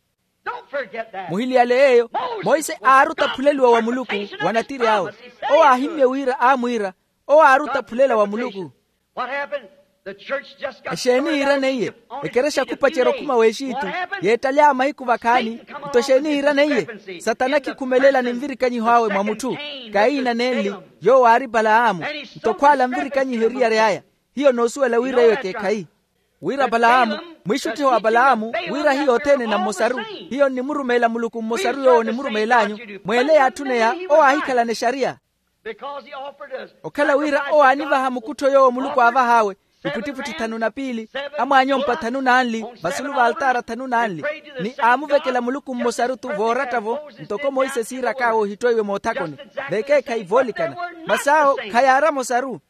Muhiliyale yeeyo. Monse aari otaphuleliwa wa muluku wa natiri awe. Owo aahimmye wira aamwiira, owo aari otaphulela wa muluku. Exeeni yiirana iye? Ekerexa khupacerya okhuma w'exitu, yeettale a mahiku vakhaani. Nto exeeni yiirana iye? Satana khikhumelela ni nvirikanyiho awe mwa mutthu. Kaina nenli, yoowo aari palahamu. Nto khwaala nvirikanyiho eriyari aya. Hiyo noosuwela wira eyo ekeekhayi. Wira palahamu, mwiixuttiho wa palahamu, wira hiyo othene na mmosaru. Hiyo nnimurumeela muluku mmosaru yoowo onimurumeel'anyu. Mweele yaatthuneya owo aahikhalana exariya. Okhala wira owo aanivaha mukuttho yoowo muluku aavah'awe, iputtiputti thanu na piili, amwaanyompa thanu nanli vasulu v'altaara thanu nanli. Ni aamuvekela muluku mmosaru-tho vooratta-vo, ntoko monse siiraka awe ohittweiwe moothakoni. Vekeekhayi voolikana. Masi awo khayaari amosaru.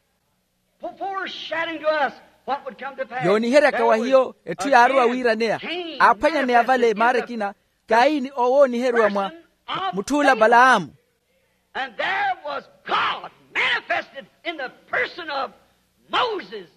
Yooniheryaka wa hiyo etthu yaarowa wiiraneya. Aaphwanyaneya vale maara ekina, kaini owooniheriwa mwa mutth'ula palahamu. And there was God manifested in the person of Moses.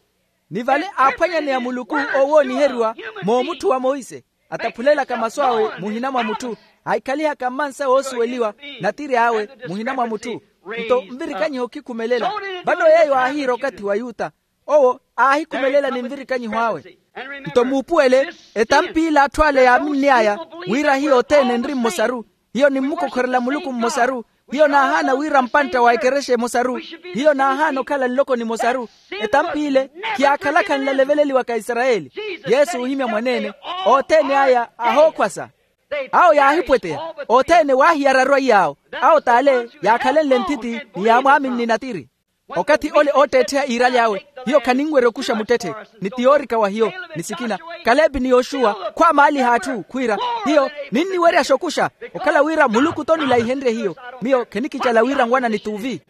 Ni vale aaphwanyaneya muluku owooniheriwa moomutthu wa monse, ataphulelaka masu awe muhina mwa mutthu, aahikhalihaka mmansa woosuweliwa, natiri awe muhina mwa mutthu. Nto nvirikanyiho khikhumelela. Vano yeeyo aahiira okathi wa yuta. Owo aahikhumelela ni nvirikanyiho awe. Nto muupuwele, etamp'ila atthu ale yaaminn'aya, wira hiyo othene enri mmosaru. Hiyo nimmukokhorela muluku mmosaru. Hiyo naahaana wira mpantta wa ekerexa emosaru. Hiyo naahaana okhala nloko nimosaru. Etamp'ile khiyaakhalaka nlaleveleliwaka aisarayeli. Yesu oohimya mwaneene, othene aya ahookhwasa. Awo yaahipweteya. Othene waahiyararwa iy'awo. Awo t'ale yaakhalenle nthiti, ni yaamwaaminni natiri. Okathi ole ootteettheya iirali awe, hiyo khaninwerya okuxa muttetthe. Ni ti yoorika wa hiyo, ni sikina, kalepi ni yoxuwa khwaamaaliha atthu khwiira, hiyo ninniweryaxa okuxa. Okhala wira muluku-tho onilaihenrye hiyo. Miyo khenikicala wira nwana ni t'uvi.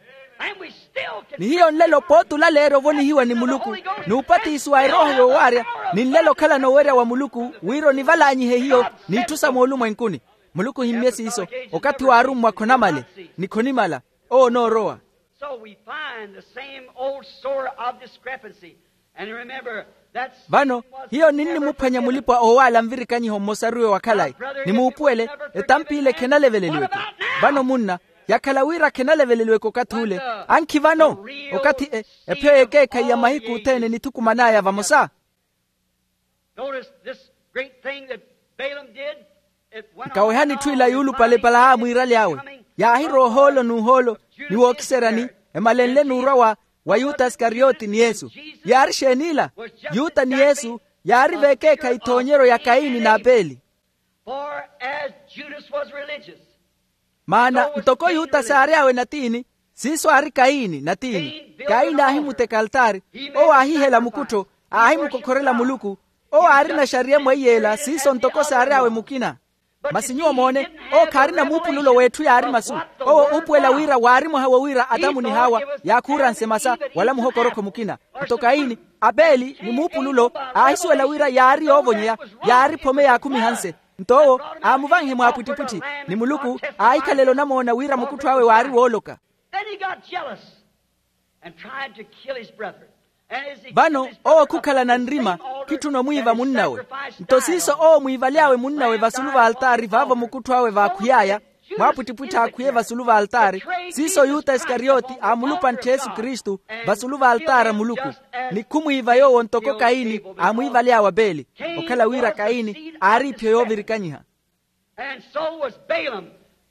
Ni hiyo nlelo pooti olaleerya ovonihiwa ni muluku, n'upatisi wa erooho yoowaarya, ni nlelo okhalana owerya wa muluku wira onivalaanyihe hiyo, n'itthu sa moolumwenkuni. Muluku ohimmye siiso. Okathi waarummwa khonamale, ni khonimala. Owo onoorowa. So we find the same old sore of discrepancy. And remember, that vano hiyo ninnimuphwanya mulipwa oowaala nvirikanyiho mmosaru yo wa khalayi. Nimuupuwele, etamp'ile khenaleveleliweke. Vano munna, yakhala wira khenaleveleliweke okathi ule, ankhi vano okathi epheyo y'ekeekhayi ya mahiku othene enithukuman'aya vamosa. Notice this great thing that Balaam did. Nkawehani etthu ila yuulupale palahamu iirali awe. Yaahirowa ohoolo n'uhoolo, ni wookiseryani, emalenle n'urwa wa yuta isikariyoti ni yesu. Yaari exeeni ila? Yuta ni yesu yaari v'ekeekhayi ethoonyeryo ya kayini n'apeli. For as Judas was religious, maana ntoko yuta saary'awe natiini, siiso aari kayini natiini. Kayini aahimuteka altaari, owo aahihela mukuttho, aahimukokhorela muluku. Owo aarina exariya mweiyela siiso ntoko saary'awe mukina. Masi nyuwo moone, owo khaarina muupululo w'etthu yaari masu. Owo uupuwela wira waari mwaha wo wira atamu ni hawa yaakhuuranse masa wala muhokorokho mukina. Nto kayini, apeli ni muupululo, aahisuwela wira yaari yoovonyeya, yaari phome yaakhumihanse. Nto owo aamuvanhe mwaapwittipwitthi, ni muluku aahikhalela onamoona wira mukuttho awe waari wooloka. Then he got jealous and tried to kill his brother. Vano owo khukhalana nrima, khitthuna omwiiva munn'awe. Nto siiso owo omwiivaly'awe munn'awe vasulu v'altaari vaavo mukuttho awe vaakhwiy'aya, mwaapwittipwitthi aakhwiye vasulu v'altaari. Siiso yuta isikariyoti aamulupantthi yesu kristu vasulu v'altaari a muluku, ni khumwiiva yoowo ntoko kayini aamwiivaly'awe apeli. Okhala wira kayini aari iphiyo yoovirikanyiha. And so was Balaam,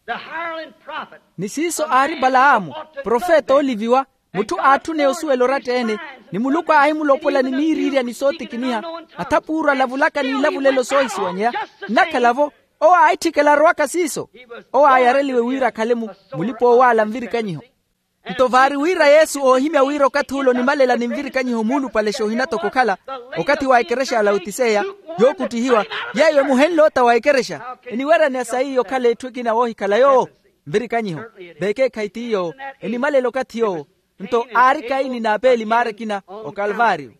the hireling prophet. Ni siiso aari palahamu, profeta ooliviwa, mutthu aatthuneya osuwela oratta-ene, ni muluku aahimulopola ni miiriirya ni sootikiniha, athapuuru alavulaka n'ilavulelo soohisiwanyeya. Nnakhala-vo owo aahitthikela arowaka siiso. Owo aayareliwe wira akhale mu mulipa-oowaala nvirikanyiho. Nto vaari wira yesu oohimya wira okathi ule onimalela ni nvirikanyiho muulupale xoohinatoko okhala, okathi wa ekerexa ya lautiseya, yookuttihiwa, yeeyo emuhenle ota wa ekerexa. Eniweryaneya sayi okhala etthu ekina woohikhala yoowo? Nvirikanyiho. Vekeekhayi ti yoowo. Enimwalela okathi yoowo. Nto aari kaini n'apeeli maara ekina okalvario.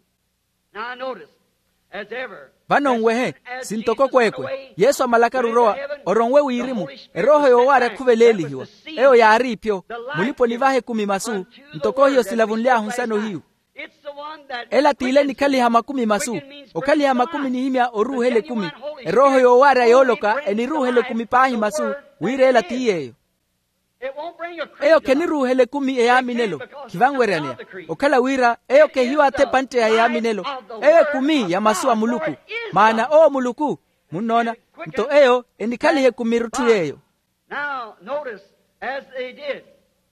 Vano nwehe, sintoko kweekwe yesu amalakaru orowa, oronwe wirimu. Erooho yoowaari akhuveleelihiwa. Eyo yaari ipyo. Mulipa onivaha ekumi masu. Ntoko hiyo silavunly'ahu nsana ohiyu. Ela t'ile enikhaliha makumi masu. Okhaliha makumi nihimya oruuhela ekumi. Erooho yoowaarya yooloka eniruuhela ekumi paahi masu. Wira ela ti yeeyo. Eyo kheniruuhela ekumi eyaaminelo. Khivanweryaneya. Okhala wira eyo khehiyo athepantte ya eyaaminelo. Eyo ekumi ya masu a muluku. Maana owo muluku. Munnoona? Nto eyo enikhaliha ekumi erutthu y'eyo.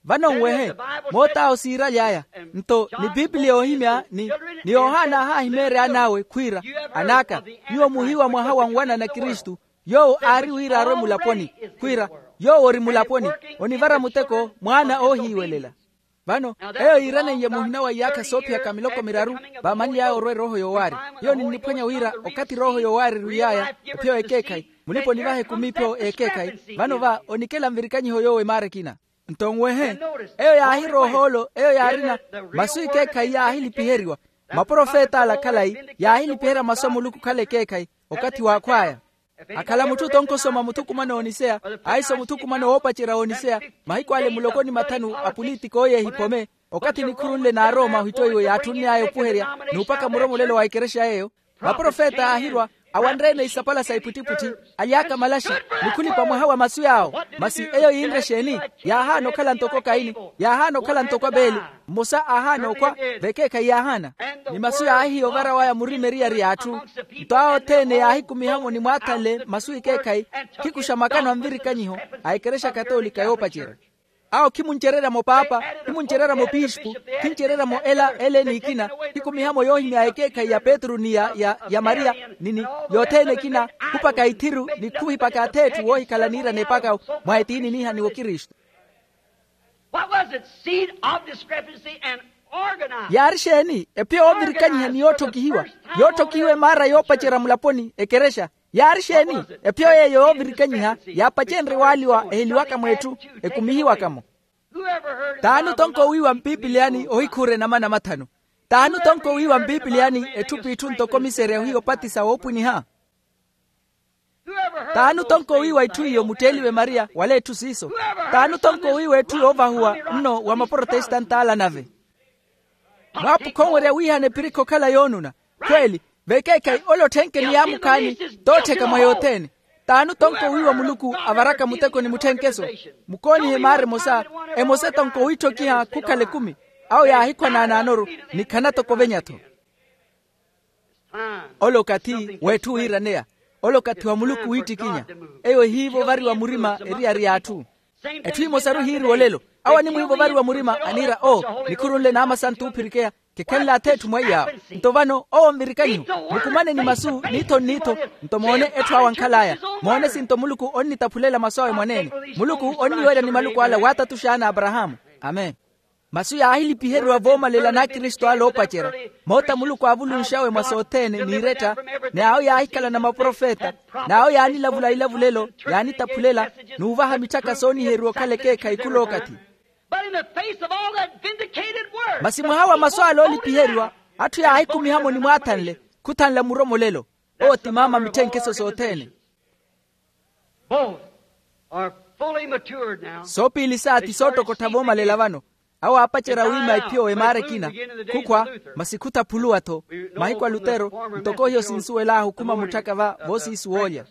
Vano nwehe, moot'awo siiraly'aya. Nto ni pipiliya yoohimya ni ni yohana aahahimeerya an'awe khwiira, an'aka, nyuwo muhiiwa mwaha wa nwanana kristu. Yoowo aari wira arwe mulaponi. Khwiira, yoowo ori mulaponi, onivara muteko mwaana oohiiwelela. Vano eyo yiiraneiye muhina wa iyaakha soophiyaka miloko miraru, vaamanly'aya orwa erooho yoowaari. Hiyo ninniphwanya wira okathi erooho yoowaari erwiiy'aya, ephiyo ekeekhayi, mulipa onivaha ekumi ephiyo ekeekhayi. Vano va onikela nvirikanyiho yoowo emaara ekina. Nto nwehe, eyo yaahirowa ohoolo eyo yaarina masu ekeekhayi yaahilipiheriwa. Maprofet'ala khalayi yaahilipiherya masu a muluku okhala ekeekhayi. Okathi w'akhw'aya akhala mutthu tonkoso mwa muthukumano ooniseya, aiso muthukumano woopacerya wooniseya. Mahiku ale muloko ni mathanu a pulitiko yeehipome. Okathi nikhuru nle n'arooma ohittoiwe yaatthunny'aya opuherya n'upaka muromolelo wa ekerexa yeeyo. Maprofeta aahirwa, awanre-ene isapala sa ipwittipwitthi, aly'aka malaxi, ni khulipa mwaha wa masu yaawo. Masi eyo yiinre exeeni? Yaahaana okhala ntoko kaini, yaahaana okhala ntoko apeeli. Mmosa aahaana okhwa, vekeekhayi yaahaana. Ni masu yaahihiya ovara waya murima eriyari y'atthu. Nto awo othene yaahikumiha-mo ni mwaathanle masu ekeekhayi, khikuxa makano a nvirikanyiho a ekerexa katoolika yoopacerya. Awo khimuncererya-mo paapa, khimuncererya-mo piispu, khincererya-mo ela ele n'ikina. Khikumiha-mo yoohimya ekeekhayi ya petru ni ya ya ya mariya, ni ni yothene ekina. Khupaka ithiru ni khuhipaka atheetthu woohikhala niirana epaka mwa etiini niihaniwa okristu. What was it? Seed of discrepancy and organized. Yaari exeeni? Ephiyo yoovirikanyiha ni yootthokihiwa, yootthokihiwa emaara yoopacerya mulaponi ekerexa. Yaari exeeni? Ephiyo yeeyo yoovirikanyiha yaapacenrye waaliwa eheliwaka mw'etthu, ekumihiwaka-mo. T'ani otonko wiiwa mpipiliyani ohikhuura enama namathanu? T'ani otonko wiiwa mpipiliyani etthu p'itthu ntoko miserya ohiya opatisa woopwiniha? T'ani otonko wiiwa itthu iyo mutteeliwe mariya wala etthu siiso? T'ani otonko wiiwa etthu yoovahuwa nno wa maprotestant'ala nave? Mwaapukha onwerya wiihana epirikhi okhala yoonuna. Khweeli, vekeekhayi ole otthenke ni yaamukhaani, t'ottheka mwa yothene. T'ani otonko wiiwa muluku avaraka muteko ni mutthenkeso? Mukoonihe maara emosa, emosa etonko wiitthokiha khukhala ekumi. Awo yaahikhwa naanaanoru, ni khana toko ovenya-tho. Ole okathi w'etthu wiiraneya. Ole okathi wa muluku wiittikinya. Eyo ehiiva ovariwa murima eriyari y'atthu. Etthu emosaru ehiiriwa olelo. Awo animwiiva ovariwa murima aniira o, nikhuru nle naamasantu oophirikeya. Kikhenle atheetthu mwa iyaawo. Nto vano owo nvirikanyiho, mukumane ni masu niitho nniitho. Nto moone etthu awo ankhal'aya. Moone sinto muluku onnitaphulela masu awe mwaneene. Muluku onniwerya ni maluku ala waatatux'aya n'aparahaamu. Amen. Masu yaahilipiheriwa voomalela n'akristu ale oopacerya. Moota muluku aavulunx'awe mwa sothene n'irettha. Ni awo yaahikhala na maprofeta. N'awo yaanilavula ilavulelo, yaanitaphulela, n'uvaha mitthaka sooniheriwa okhala ekeekhayi khul'okathi. Masi mwaha wa masu ale oolipiheriwa, atthu yaahikumiha-mo ni mwaathanle, khuthanla muromolelo. Owo ti maama mitthenkeso sothene. Soopiili saati soottokottha voomalela vano. Awo aapacerya wiima ephiyo emaara ekina. Khukhwa, masi khutaphuluwa-tho. Mahiku a lutero, ntoko hiyo sinsuwel'ahu okhuma mutthaka va voosiisi woolya.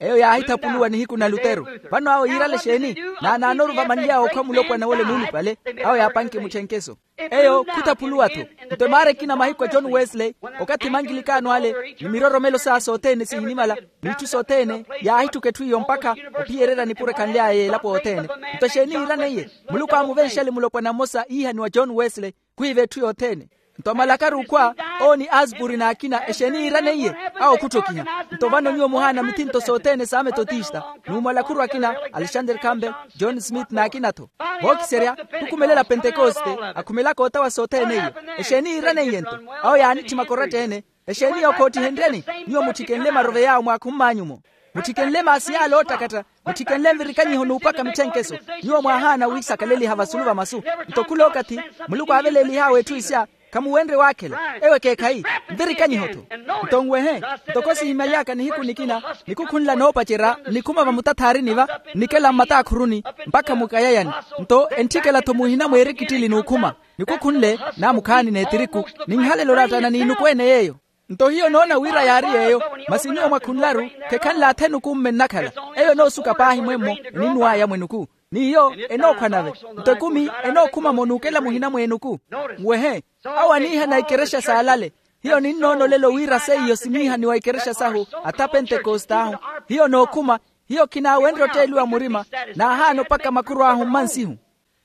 Eyo yaahithaphuluwa nihiku na lutero. Vano awo yiirale exeeni? Naanaanoru vamanly'awe okhwa mulopwana w'ole nuulupale. Awo yaapanke mutthenkeso. Eyo khutaphuluwa-tho. Nto emaara ekina mahiku a john wesley, okathi mankilikaano ale, ni miroromelo s'aya sothene sihinimala, n'itthu sothene, yaahitthuka etthu iyo mpakha ophiyererya nipuro ekhanly'aya y'elapo othene. Nto exeeni yiiraneiye? Muluku aamuvenxale mulopwana mmosa iihaniwa john wesley, khwiiva etthu yothene. Nto amalakaru okhwa, owo ni aspuri n'akina exeeni yiiraneiye? Awo khutthokiha. Nto vano nyuwo muhaana mithinto sothene s'ametotista, n'umalakhuru akina, alexander campbell, john smith n'akina-tho. Vookiserya, khukumelela pentekoste, akhumelaka otawa sothene iyo. Exeeni yiiraneiye-nto? Awo yaanitthimaka oratta-ene. Exeeni yookhottihenryani? Nyuwo mutthikenle marove yaawo mwaakhumm'anyu-mo. Mutthikenle maasi yaale oottakatta, mutthikenle nvirikanyiho n'upwaka mitthenkeso. Nyuwo mwaahaana wiisakaleliha vasulu va masu. Nto khula okathi muluku aaveleelih'awe etthu isya, khamuwenrye waakhela. Eyo ekeekhayi, nvirikanyiho-tho. Nto nwehe, ntoko sihimaly'aka nihiku nikina, nikukhunla noopacerya nnikhuma vamutatharini va, nnikela mmataakhuruni, mpakha mukayayani. Nto entthikela-tho muhina mweerikittili n'ukhuma, nikukhunle naamukhaani n'etiriku, ninhalelo nattana n'inuku-ene yeeyo. Nto hiyo noona wira yaari yeeyo. Masi nyuwo mwakhunlaru, khekhanle athenuku mme nnakhala. Eyo enoosuka paahi mwemmo, eninw'aya mwenuku. N'iyo enookhwa nave. Nto ekumi enookhuma-mo n'ukela muhina mw'enuku. Nwehe, awo aniihana ikerexa s'alale. Hiyo ninnoona olelo wira seiyo siniihaniwa ikerexa sahu, atha pentekost'ahu. Hiyo nookhuma, hiyo khinaawenrye otteeliwa murima, naahaana opaka makhurw'ahu mmansihu.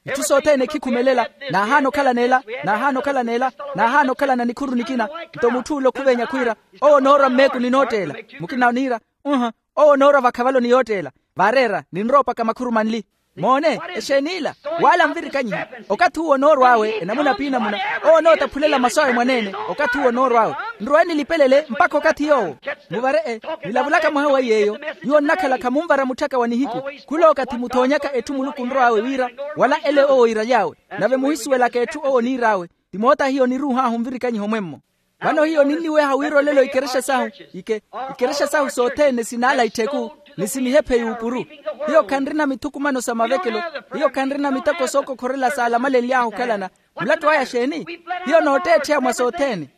Itthu sothene khikhumelela. Naahaana okhala n'ela, naahaana okhala n'ela, naahaana okhalana nikhuru nikina. Nto mutth'ule okhuvenya khwiira, owo onoorwa mmeekuni nootteela. Mukina oniira, uha, owo onoorwa vakhavaloni yootteela. Vaareera ninrowa opaka makhuru manli. Moone, exeen'ila? Wala nvirikanyiho. Okathi uwo onoorw'awe enamuna p'inamuna, owo onootaphulela masu awe mwaneene. Okathi uwo onoorw'awe, nrowe nilipelele mpakha okathi yoowo. Muvare-e, nilavulaka mwaha wa iy'eyo. Nyuwo nnakhala khamunvara mutthaka wa nihiku. Khulookathi muthoonyaka etthu muluku onrow'awe wira, wala ele owo iiraly'awe. Nave muhisuwelaka etthu owo oniir'awe. Ti moota hiyo niruuh'ahu nvirikanyiho mwemmo. Vano hiyo ninniweha wira olelo ikerexa sahu, ike ikerexa sahu sothene sinaala ittheku, ni sinihephe yuupuru. Hiyo khanrina mithukumano sa mavekelo. Hiyo khanrina miteko sookokhorela saala malenly'ahu okhalana. Mulattu aya xeeni? Hiyo nootteettheya mwa sothene.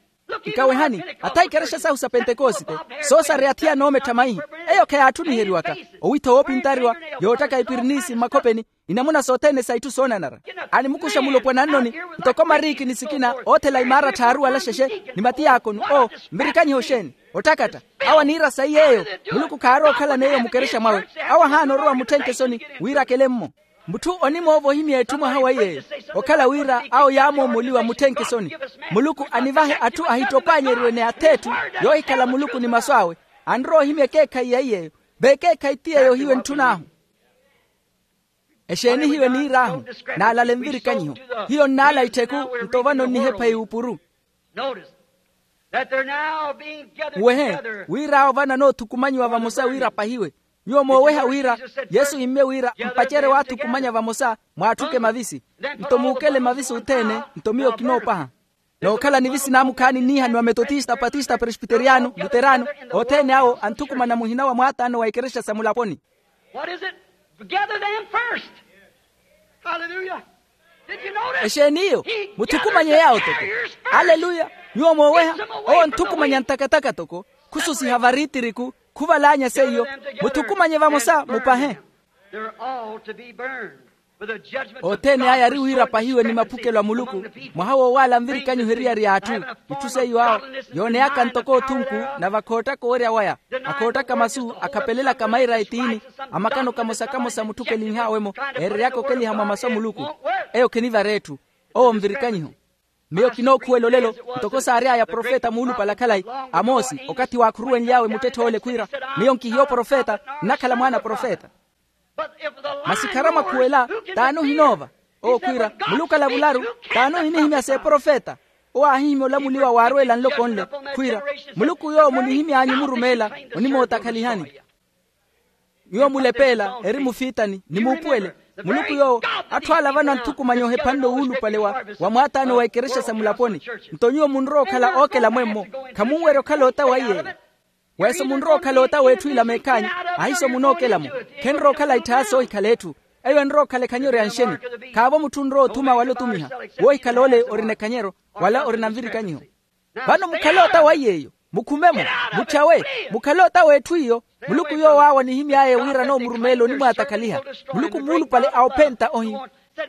Nkawehani, atha ikerexa sahu sa pentekosite, soosareya athiya noomettha maihi. Eyo kheyaatthu niheriwaka. Owitha woopintariwa, yoottaka ipirinisi mmakhopeni, inamuna sothene sa itthu soonanara. Animukuxa mulopwana nnoni, ntoko mariiki ni sikina oothela imaara tthaaru wala xexe, ni matiyaakoni oo, nvirikanyiho xeeni? Otthakatta. Awo aniira sayi yeeyo. Muluku khaari okhalana eyo mukerexa mwawe. Awo ahaana orowa mutthenke soni, wira akele-mmo. Mutthu onimoovohimya etthu mwaha wa iy'eyo, okhala wira awo yaamoomoliwa mutthenke soni. Muluku anivahe atthu ahittopaanyeriwe ni ath'etthu, yoohikhala muluku ni masu awe. Anrowa ohimya ekeekhayi ya iy'eyo. V'ekeekhayi ti yeeyo hiyo entthun'ahu. Exeeni hiyo eniir'ahu? Naalale nvirikanyiho. Hiyo nnaala ittheku. Nto vano nnihepha yuupuru. Wehe, wir'awo vano anoothukumanyiwa vamosa wira apahiwe. Nyuwo mooweha wira yesu imme wira mpacerye waathukumanya vamosa, mwaatthuke mavisi. Nto muukele mavisi othene. Nto miyo kinoopaha. Nookhala nivisi naamukhaani nniihaniwa metotista patista presbiteriyano luterano. Othene awo anthukumana muhina wa mwaataano wa ikerexa sa mulaponi. What is it? Gather them first. Hallelujah. Did you notice? Exeeni iyo? Muthukumanye yaawo toko. Aleluya. Nyuwo mooweha. Owo anthukumanya ntakataka toko. Khususiha variitiriku. Khuvalaanya seiyo. Muthukumanye vamosa mupahe. They're all to be burned. Othene aya ari wira apahiwe ni maphukelo a muluku. Mwaha woowaala nvirikanyiho eriyari y'atthu. Itthu seiyo awo yooneyaka ntoko othunku. Nave akhoottaka owerya waya, akhoottaka masu akhapelelaka maira etiini. Amakano kamosa-kamosa mutthukelinh'awe-mo, eereryaka okeliha mwa masu a muluku. Eyo khinivara etthu. Owo nvirikanyiho. Miyo kinookhuwela olelo, ntoko saary'aya profeta muulupale a khalayi, amosi okathi waakhuruwenly'awe muttetthe ole khwiira, miyo nkihiya oprofeta, nnakhala mwaana a profeta. Masi kharamwakhuwela, t'ani ohinoova? Owo khwiira, muluku alavularu, t'ani ohinihimya s'eprofeta? Owo aahihimya olamuliwa waarweela nloko nle, khwiira, muluku yoowo munihimy'anyu murumeela, onimootakhalihani. Nyuwo mulepeela eri mufiitani ni muupuwele. Muluku yoowo, atthu ala vano anthukumanya ohephanle owuulupale wa mwaataano wa ikerexa sa mulaponi. Nto nyuwo munrowa okhala ookela mwemmo, khamunwerya okhala ota wa iyeeyo. Weso munrowa okhala ota w'etthu ila meekhaanyu. Ahiso munookela-mo. Khenrowa okhala itthaya soohikhala etthu. Eyo enrowa okhala ekhanyeryo ya nxeni. Khaavo mutthu onrowa othuma wala otumiha. Woohikhala ole orina ekhanyeryo, wala orina nvirikanyiho. Vano mukhale ota wa iyeeyo. Mukhume-mo. Mutthawe. Mukhale ota w'etthu iyo. Muluku yoowo awo anihimy'aya wira anoomurumeela onimwaatakhaliha. Muluku muulupale a ophenta ohi.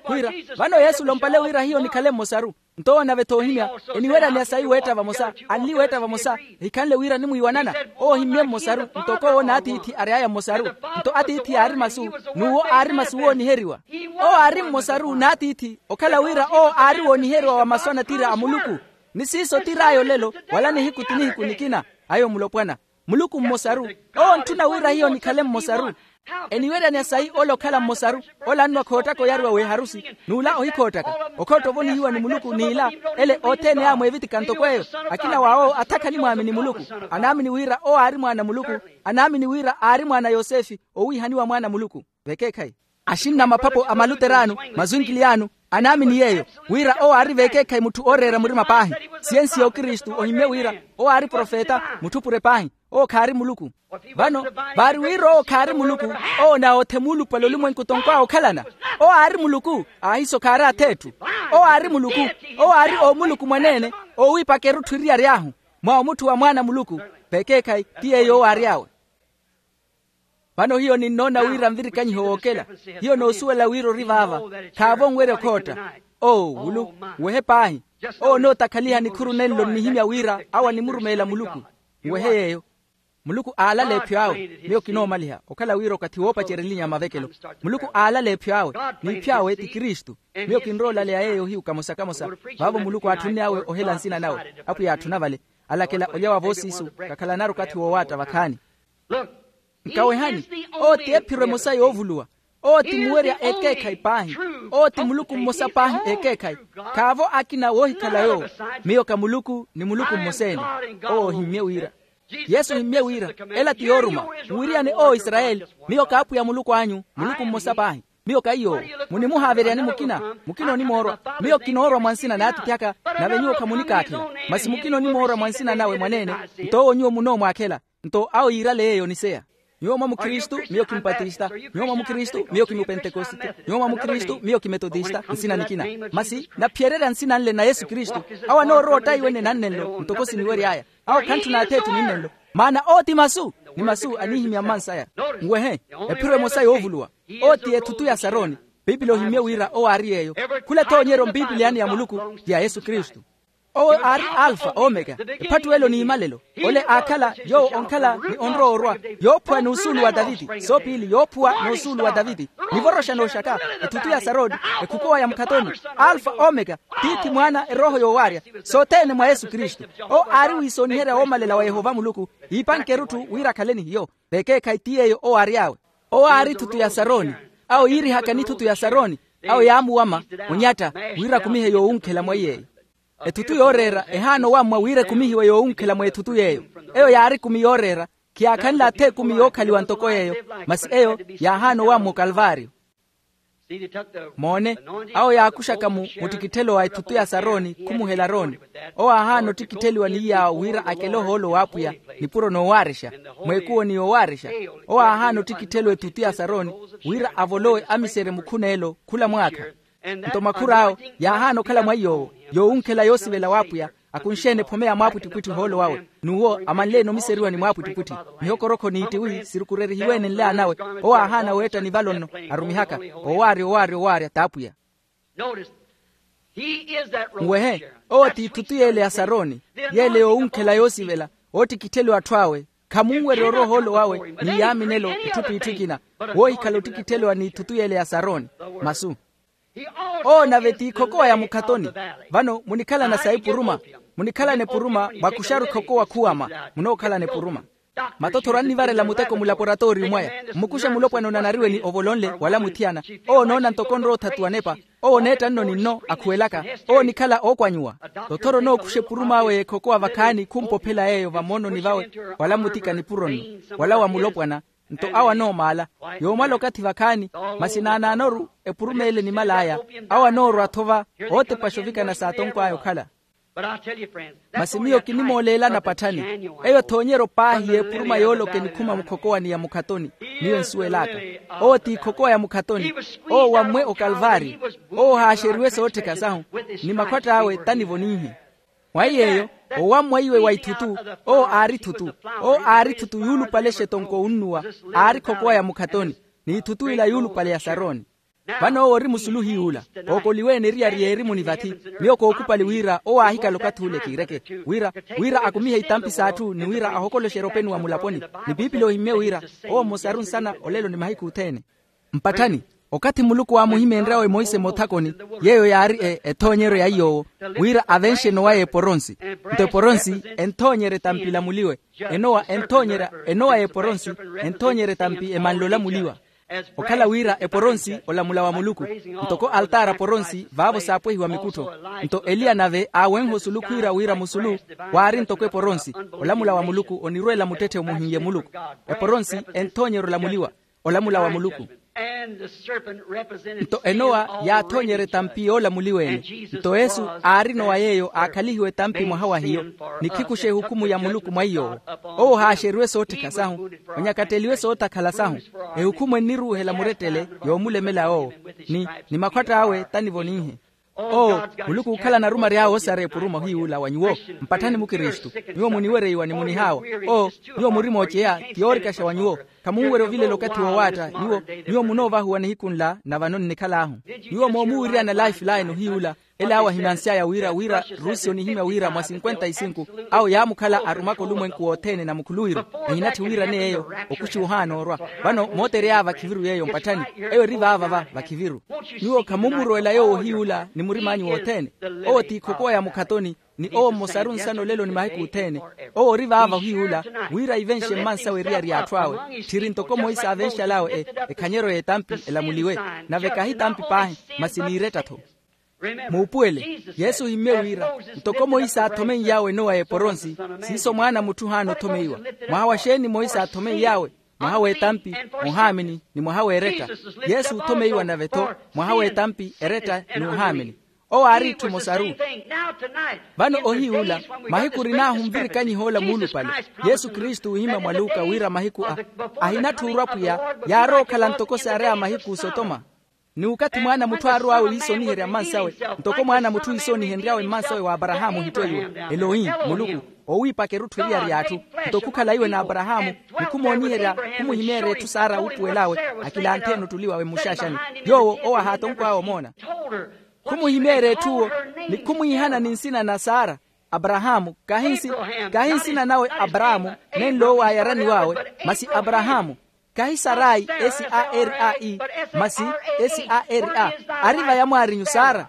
Khwiira, vano yesu olompale wira hiyo nikhale mmosaru. Nto owo nave-tho oohimya, eniweryaneya sayi weetta vamosa, anli weetta vamosa. Ehikhanle wira animwiiwanana. Owo ohimmye mmosaru. Ntoko owo n'atiithi ary'aya mmosaru. Nto atiithi aari masu, n'uwo aari masu wooniheriwa. Owo aari mmosaru n'atiithi, okhala wira owo aari wooniheriwa wa masu anatira a muluku. Ni siiso tir'aya olelo, wala nihiku ti nihiku nikina. Ayo mulopwana. Muluku mmosaru. Owo ontthuna wira hiyo nikhale mmosaru. Eniweryani asayi ola okhala mmosaru. Ola annuwa khoottaka oyaruwa w'eharusi, n'ula ohikhoottaka. Okhootta ovonihiwa ni muluku n'ila ele othene yaamweevitika ntoko eyo. Akina w'awo athakhani mwaamini muluku. Anaamini wira owo aari mwaana muluku. Anaamini wira aari mwaana yosefe, owiihaniwa mwaana muluku. Vekeekhayi, axinna maphapho a maluteraano, mazwinkiliyano, anaamini yeeyo, wira owo aari vekeekhayi mutthu ooreera murima paahi. Siyensi y'okristu ohimmye wira owo aari profeta, mutthupure paahi. Owo khaari muluku. Vano, vaari wira owo khaari muluku, owo naawothe muulupale olumwenku tonkw'awe okhalana. Owo aari muluku, aahiso khaari ath'etthu. Owo aari muluku. Owo aari omuluku mwaneene, oowiipaka erutthu eriyari ahu, mwa omutthu wa mwaana muluku. Vekeekhayi, ti yeeyo owo aary'awe. Vano hiyo ninnoona wira nvirikanyiho wookela. Hiyo noosuwela wira ori vaava. Khaavo nwerya okhootta. Oo wulu, nwehe paahi. Owo onootakhaliha nikhuru nenlo nnihimya wira awo animurumeela muluku. Nwehe yeeyo. Muluku aalala epyo awe. Miyo kinoomaliha okhala wira okathi woopacerya elinya ya mavekelo. Muluku aalala epyo awe. N'iphyo awe ti kristu. Miyo kinrowa olaleya yeeyo ohiyu kamosa kamosa. Vaavo muluku aatthunne awe ohela nsina nawe. Apwiya aatthuna vale. Alakela olya wa voosiisu. Kakhalanaru okathi woowaatta vakhaani. Nkawehani. Owo ti ephiro emosa yoovuluwa. Owo ti muwerya ekeekhayi paahi. Owo ti muluku mmosa paahi ekeekhayi. Khaavo akina woohikhala yoowo. Miyo ka muluku ni muluku mmosa-ene. Owo ohimmye wira. Yesu ohimmye wira, ela ti yooruma. Muwiriyane owo israyeli. Miyo ka apwiya muluku anyu muluku mmosa paahi. Miyo ka iy'owo. Munimuhaaveryani mukina? Mukina onimoorwa. Miyo kinoorwa mwa nsina n'atiithi aka. Nave nyuwo khamunikaakhela. Masi mukina onimoorwa mwa nsina nawe mwaneene. Nto owo nyuwo munoomwaakhela. Nto awo yiirale yeeyo oniseya. Nyuwo mwa mukhristu, miyo kimpatista. Nyuwo mwa mukhristu, miyo kimupentekosite. Nyuwo mwa mukhristu, miyo kimetotista nsina nikina. Masi naphiyererya nsina nle na yesu kristu. Awo anoorowa ottaiwene nannenlo ntoko siniwery'aya. Awo khantthuna ath'etthu ninnenlo. Maana owo ti masu, ni masu aniihimya mmansaya. Nwehe, ephiro emosa yoovuluwa. Owo ti ethutu ya saroni. Pipili ohimmye wira owo aari yeeyo. Khula ethoonyeryo mpipiliyani ya muluku ti ya yesu kristu. Owo aari alfa omeka, ephattuwelo n'imalelo. Ole aakhala yoowo onkhala ni onrowa orwa, yoophuwa n'usuulu wa taviti soopiili yoophuwa n'usuulu wa taviti. Nivoroxa nooxaka, ethutu ya saroni, ekhukowa ya mukhatoni, alfa omeka, tiithi mwaana erooho yoowaarya, sothene mwa yesu kristu. Owo aari wiisooniherya woomalela wa yehova muluku, iipanke erutthu wira akhale ni hiyo. Vekeekhayi ti yeeyo owo aary'awe. Owo aari thutu ya saroni. Awo yiirihaka ni thutu ya saroni. Awo yaamuwama, onyatta, wira akumihe yoowunkhela mwa iyeeyo. Ethutu yooreera ehaana owammwa wira ekumihiwe yoowunkhela mwa ethutu yeeyo. Eyo yaari ekumi yooreera. Khiyaakhanle atha ekumi yookhaliwa ntoko yeeyo. Masi eyo yaahaana owammwa okalvario. Moone, awo yaakuxaka mu muttikitthelo wa ethutu ya saroni khumuhela aroni. Owo aahaana ottikittheliwa ni iyaawo wira akele ohoolo w'apwiya, nipuro noowaarexa, mweekuwo ni yowaarexa. Owo aahaana ottikittheliwa ethutu ya saroni, wira avolowe amiserye mukhuneelo khula mwaakha. Nto makhur'awo yaahaana okhala mwa iy'owo, yoowunkhela yoosivela w'apwiya, akunxe-ene ephome ya mwaapwittipwitthi ohoolo wawe. N'uwo amanle-ene omiseriwa ni mwaapwittipwitthi. Mihokorokho n'ittiwi sirukurerihiwe-ene nle anawe. Owo aahaana weetta nivalo nno, arumihaka, owaarya owaarya owaarya t'apwiya. Nwehe, owo ti ithutu y'ele ya saroni, y'ele yoowunkhela yoosivela, oottikittheliwa atthu awe. Khamunwerya orwa ohoolo wawe ni yaaminelo itthu p'itthu ikina. Woohikhala ottikittheliwa n'ithutu y'ele ya saroni. Masu. Owo nave ti ikhokowa ya mukhatoni. Vano munikhalana sa ipuruma. Munikhalana epuruma mwakuxaru ikhokowa khuwama. Munookhalana epuruma. Matothoro annivarela muteko mulaporatooriyu mwaya. Mmukuxe mulopwana onanariwe ni ovolo nle wala muthiyana. Owo onoona ntoko onrowa othatuwa nepa. Owo oneetta nno ni nno akhuwelaka. Owo onikhala ookwanyiwa. Tothoro onookuxa epurum'awe y'ekhokowa vakhaani khumpophela yeeyo vamoononi vawe wala mutika nipuro nno wala wa mulopwana. Nto awo anoomaala. Yoomala okathi vakhaani. Masi naanaanoru epuruma ele enimal'aya. Awo anoorwa-tho va ootepaxa ovikana s'atonkw'aya okhala. Masi miyo kinimooleelana patthani. Eyo thoonyeryo paahi y'epuruma yooloka enikhuma mukhokowani ya mukhatoni. Miyo ensuwel'aka owo ti ikhokowa ya mukhatoni. Owo wammwe okalvaari. Owo ohaaxeriwe soottheka sahu. Ni makhwatt'awe tanivo ninhi. Mwa iy'eyo, owammwa iwe wa ithutu. Owo aari ithutu. Owo aari ithutu yuulupale exetonko onnuwa. Aari ikhokowa ya mukhatoni. N'ithutu ila yuulupale ya saroni. Vano owo ori musuluhiyi ula. Ookoliwe-ene eriyari y'erimuni vathi. Miyo kookupali wira owo aahikala okathi ule kiireke, wira wira akumihe itampi s'atthu ni wira ahokoloxerye openi wa mulaponi. Ni piipili ohimmye wira owo mmosaru nsana olelo ni mahiku othene. Mpatthani. Okathi muluku waamuhimeenryawe monse mothakoni, yeeyo yaari ethoonyeryo ya iy'owo, wira avenxe enowa y'eporonsi. Nto eporonsi enthoonyerya etampi elamuliwe. Enowa enthoonyerya enowa y'eporonsi, enthoonyerya etampi emanle olamuliwa. Okhala wira eporonsi olamula wa muluku, ntoko altaara poronsi vaavo saapwehiwa mikuttho. Nto eliya nave aawenha osulu khwiira wira musulu waari ntoko eporonsi. Olamula wa muluku onirweela muttetthe omuhinlye muluku. Eporonsi enthoonyerya olamuliwa, olamula wa muluku. Nto enowa yaathoonyerya etampi yoolamuliwa-ene. Nto yesu aarina owa yeeyo aakhalihiwe etampi mwaha wa hiyo, nikhikushe ehukhumu ya muluku mwa iy'owo. Owo haaxeriwe soottheka sahu, onyakatteliwe sootakhala sahu. Ehukhumu enniruuhela murettele yoomulemela owo, ni ni makhwatta awe tanivoninhe. Oo, muluku ookhala anarumary'awe osareya epuruma ohiy'ula wa nyuwo, mpatthani mukristu. Nyuwo muniwereiwa ni munihaawa. Oo, nyuwo muri mooceya, ti yoorikaxa wa nyuwo. Khamunwerya ovilela okathi woowaatta nyuwo. Nyuwo munoovahuwa nihiku nla na vano nnikhal'ahu. Nyuwo moomuwiryana lifeline ohiy'ula, ele awo ahimansy'aya wira wira, rusi onihimya wira mwa cinquenta y cinco, awo yaamukhala arumaka olumwenku wothene na mukhuluwiru. Ehinatthi wiirane yeeyo, okuxi ohaana orwa. Vano mootery'aya vakhiviru yeeyo mpatthani. Eyo eri vaava va vakhiviru. Nyuwo khamumurowela yoowo ohiy'ula ni murim'anyu wothene. Owo ti ikhokowa ya mukhatoni, ni owo mmosaru nsana olelo ni mahiku othene. Owo ori vaava ohiy'ula, wira ivenxe mmansawe eriyari y'atthu awe. Tthiri ntoko monse aavenxal'awe ekhanyeryo y'etampi elamuliwe. Nave kahi tampi paahi, masi n'iiretta-tho. Muupuwele, yesu ohimmye wira, ntoko monse aathomeiy'awe enowa y'eporonsi, siiso mwaana a mutthu ohaana othomeiwa. Mwaha wa xeeni monse aathomeiy'awe? Mwaha w'etampi, ohaamini, ni mwaha w'eretta. Yesu othomeiwa nave-tho, mwaha w'etampi, eretta, ni ohaamini. Owo aari itthu emosaru. Vano ohiy'ula, mahiku orin'ahu nvirikanyih'ola muulupale. Yesu kristu oohimya mwa luka wira mahiku a ahinatthi orwa pwiya, yaarowa okhala ntoko saareya mahiku osotoma. Ni okathi mwaana a mutthu aarowawe wiisoniherya mmansawe, ntoko mwaana a mutthu iisonihenry'awe mmansawe w'aparahaamu ohitto iwe, elohi, muluku, oowiipaka erutthu eriyari y'atthu. Nto khukhala iwe n'aparahaamu, ni khumooniherya, khumuhimeerya etthu sara wuupuwel'awe, akilanthe-ene ottuli wawe mmuxaaxani. Yoowo owo ahaatonkw'awe omoona. Khumuhimeerya etthuwo, ni khumwiihana ni nsina na sara. Aparahaamu, kahi nsina nawe aparahaamu, nenlo owo aayaraniw'awe, masi aparahaamu. Kahi sarai, s a r a i, masi, s a r a. Ari va yamwaarinyu sara.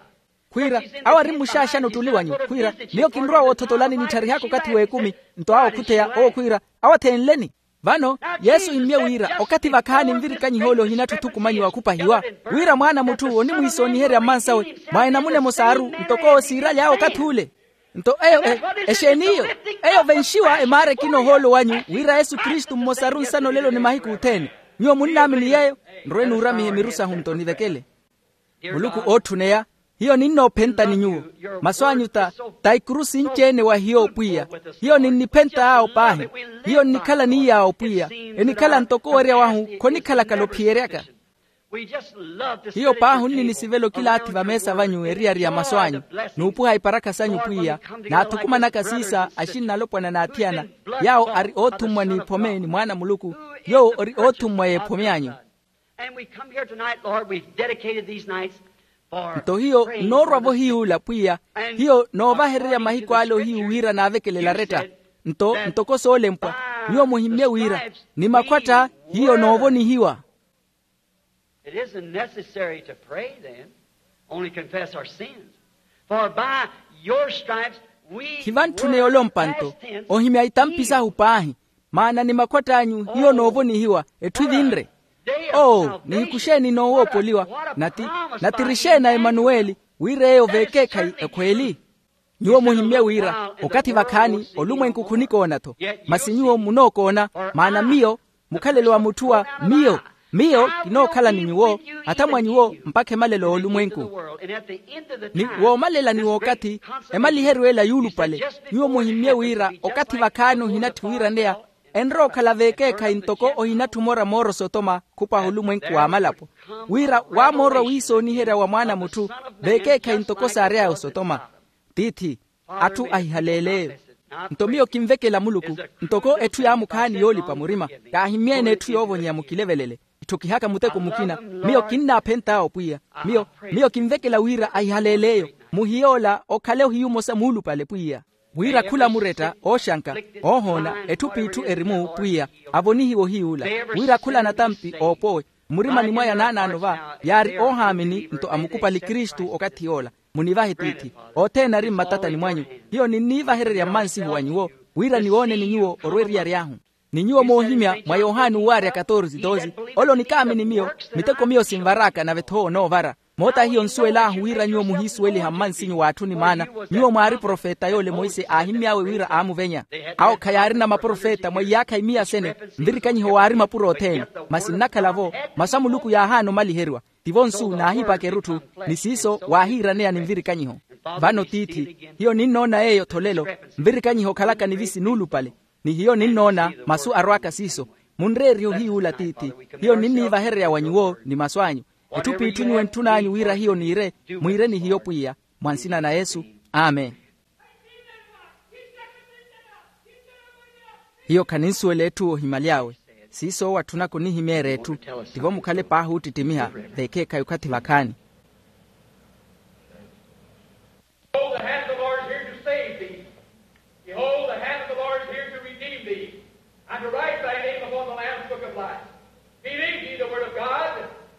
Khwiira, awo ari mmuxaaxani ottuli wanyu khwiira, miyo kinrowa woothotolani nittharihaaka okathi w'ekumi. Nto awo okhutheya owo khwiira, awo atheenleni. Vano, yesu immye wira okathi vakhaani nvirikanyih'ole ohinatthu othukumanyiwa okhupahiwa, wira mwaana a mutthu onimwiisooniherya mmansawe, mwa enamuna emosaaru, ntoko owo siiraly'awe okathi ule. Nto eyo, exeen'iyo? Eyo venxiwa emaara ekina ohoolo wanyu, wira yesu kristu mmosaru nsana olelo ni mahiku othene. Nyuwo munnaamini yeeyo? Nrowe nuuramihe miru sahu nto nivekele. Muluku ootthuneya, hiyo ninnoophenta ni nyuwo. Masu anyu ta, ta ikurusi nci-ene wa hiyo pwiya. Hiyo ninniphent'awo paahi. Hiyo nnikhala n'iy'awo pwiya. Enikhala ntoko owerya wahu khonikhalaka alophiyeryaka. Hiyo paahi onninisivela okilaathi vameesa vanyu eriyari ya masu anyu, n'upuha iparakha sanyu pwiya, naathukumanaka siisa axinna alopwana n'athiyana, yaawo ari oothummwa n'iphome ni mwaana a muluku, yoowo ori oothummwa y'ephome anyu. And we come here tonight, Lord, we've dedicated these nights for nto hiyo nnoorwa-vo hiy'ula pwiya, hiyo noovahererya mahiku ale ohiyu wira naavekelela aretta. Nto ntoko soolempwa, nyuwo muhimmye wira, ni makhwatta hiyo noovonihiwa. It isn't necessary to pray then, only confess our sins. For by your stripes we were, khivantthune yolompa nto, past tense, ohimya itampi sahu paahi, maana ni makhwatt'anyu hiyo noovonihiwa, etthu evinre. Oo, nihiku xeeni noowoopoliwa? Nati, nati ri xeeni a emanuweli, wira eyo veekeekhayi ekhweeli. Nyuwo muhimmye wira, okathi vakhaani olumwenku khunikoona-tho, masi nyuwo munookoona, maana miyo, mukhalelo wa mutthu wa miyo, miyo kinookhala ni nyuwo, hata mwa nyuwo mpakha emalelo y'olumwenku. Ni woomalela ni w'okathi, emaliheriwe ela yuulupale, nyuwo muhimmye wira okathi vakhaani ohinatthi wiiraneya, enrowa okhala veekeekhayi ntoko ohinatthi omora moora osotoma khupwaha olumwenku w'amalapo, wira waamoorwa wiisooniherya wa mwaana a mutthu, veekeekhayi ntoko saary'aya osotoma. Tiithi, atthu ahihaleel'eyo. Nto miyo kinvekela muluku, ntoko etthu yaamukhaani yoolipa murima, kaahimmye-ene etthu yoovonyeya mukilevelele. Itthokihaka muteko mukina, miyo kinnaaphent'awo pwiya. Miyo, miyo kinvekela wira ahihaleel'eyo, muhiy'ola okhale ohiyu omosa muulupale pwiya. Wira khula muretta ooxanka, oohoona etthu p'itthu eri-mu pwiya, avonihiwe ohiy'ula. Wira khula anatampi oopowe, Mmurimani mwaya naanaano va yaari oohaamini nto amukupali kristu okathi yoola. Munivahe tiithi othene ari mmatatani mwanyu. Hiyo ninniivahererya mmansihu wa nyuwo wira niwooneni nyuwo orwa eriyari ahu. Ni nyuwo moohimya mwa yohani uwaarya katorze doze, ole onikaamini miyo miteko miyo sinvar'aka nave-tho onoovara. Moota hiyo nsuwel'ahu wira nyuwo muhiisuweliha mmansinyu w'atthu ni maana. Nyuwo mwaari profeta yoole monse aahimmy'awe wira aamuvenya. Awo khayaarina maprofeta mwa iyaakha imiya sene. Nvirikanyiho waari mapuro othene. Masi nnakhala-vo masu a muluku yaahaana omaliheriwa. Tivo nsu naahipaka erutthu ni siiso waahiiraneya ni nvirikanyiho. Vano tiithi hiyo ninnoona yeeyo-tho lelo. Nvirikanyiho okhalaka nivisi nuulupale. Ni hiyo ninnoona masu arw'aka siiso. Munreerihe ohiyuula tiithi. Hiyo ninniivahererya wa nyuwo ni masu anyu. Etthu p'itthu nyuwo entthun'anyu wira hiyo niire. Mwiire ni hiyo pwiya. Mwa nsina na yesu. Amen. Hiyo khaninsuwela etthu ohimyaly'awe. Siiso owo atthunaka onihimeerya etthu. Tivo mukhale paahi oottittimiha. Veekheekhayi okhathi vakhaani. Behold, the hand of the Lord is here to save thee. Behold, the hand of the Lord is here to redeem thee, and to write thy name upon the Lamb's book of life. Believe ye the word of God,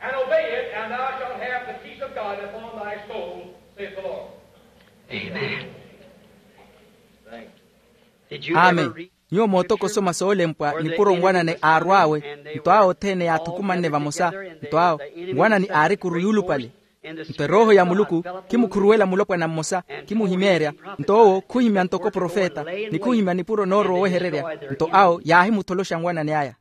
and obey it, and thou shalt have the peace of God upon thy soul, saith the Lord. Amen. Amen. Nyuwo mootoka osoma soolempwa nipuro nwanane aarw'awe. Nto awo othene yaathukumanne vamosa. Nto awo nwanani aari ekuru yuulupale. Nto erooho ya muluku khimukhuruwela mulopwana mmosa, khimuhimeerya. Nto owo khuhimya ntoko profeta, ni khuhimya nipuro noorowa owehererya. Nto awo yaahimutholoxa nwanani aya.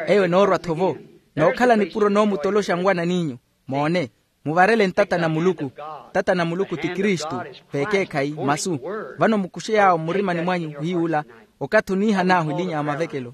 Eyo enoorwa-tho-vo nookhala nipuro noomutoloxa nwanan'inyu. Moone, muvarele ntata na muluku. Ntata na muluku ti kristu. Veekeekhayi masu. Vano mukuxe yaawo mmurimani mwanyu hiy'ula. Okathi oniihan'ahu elinya ya mavekelo.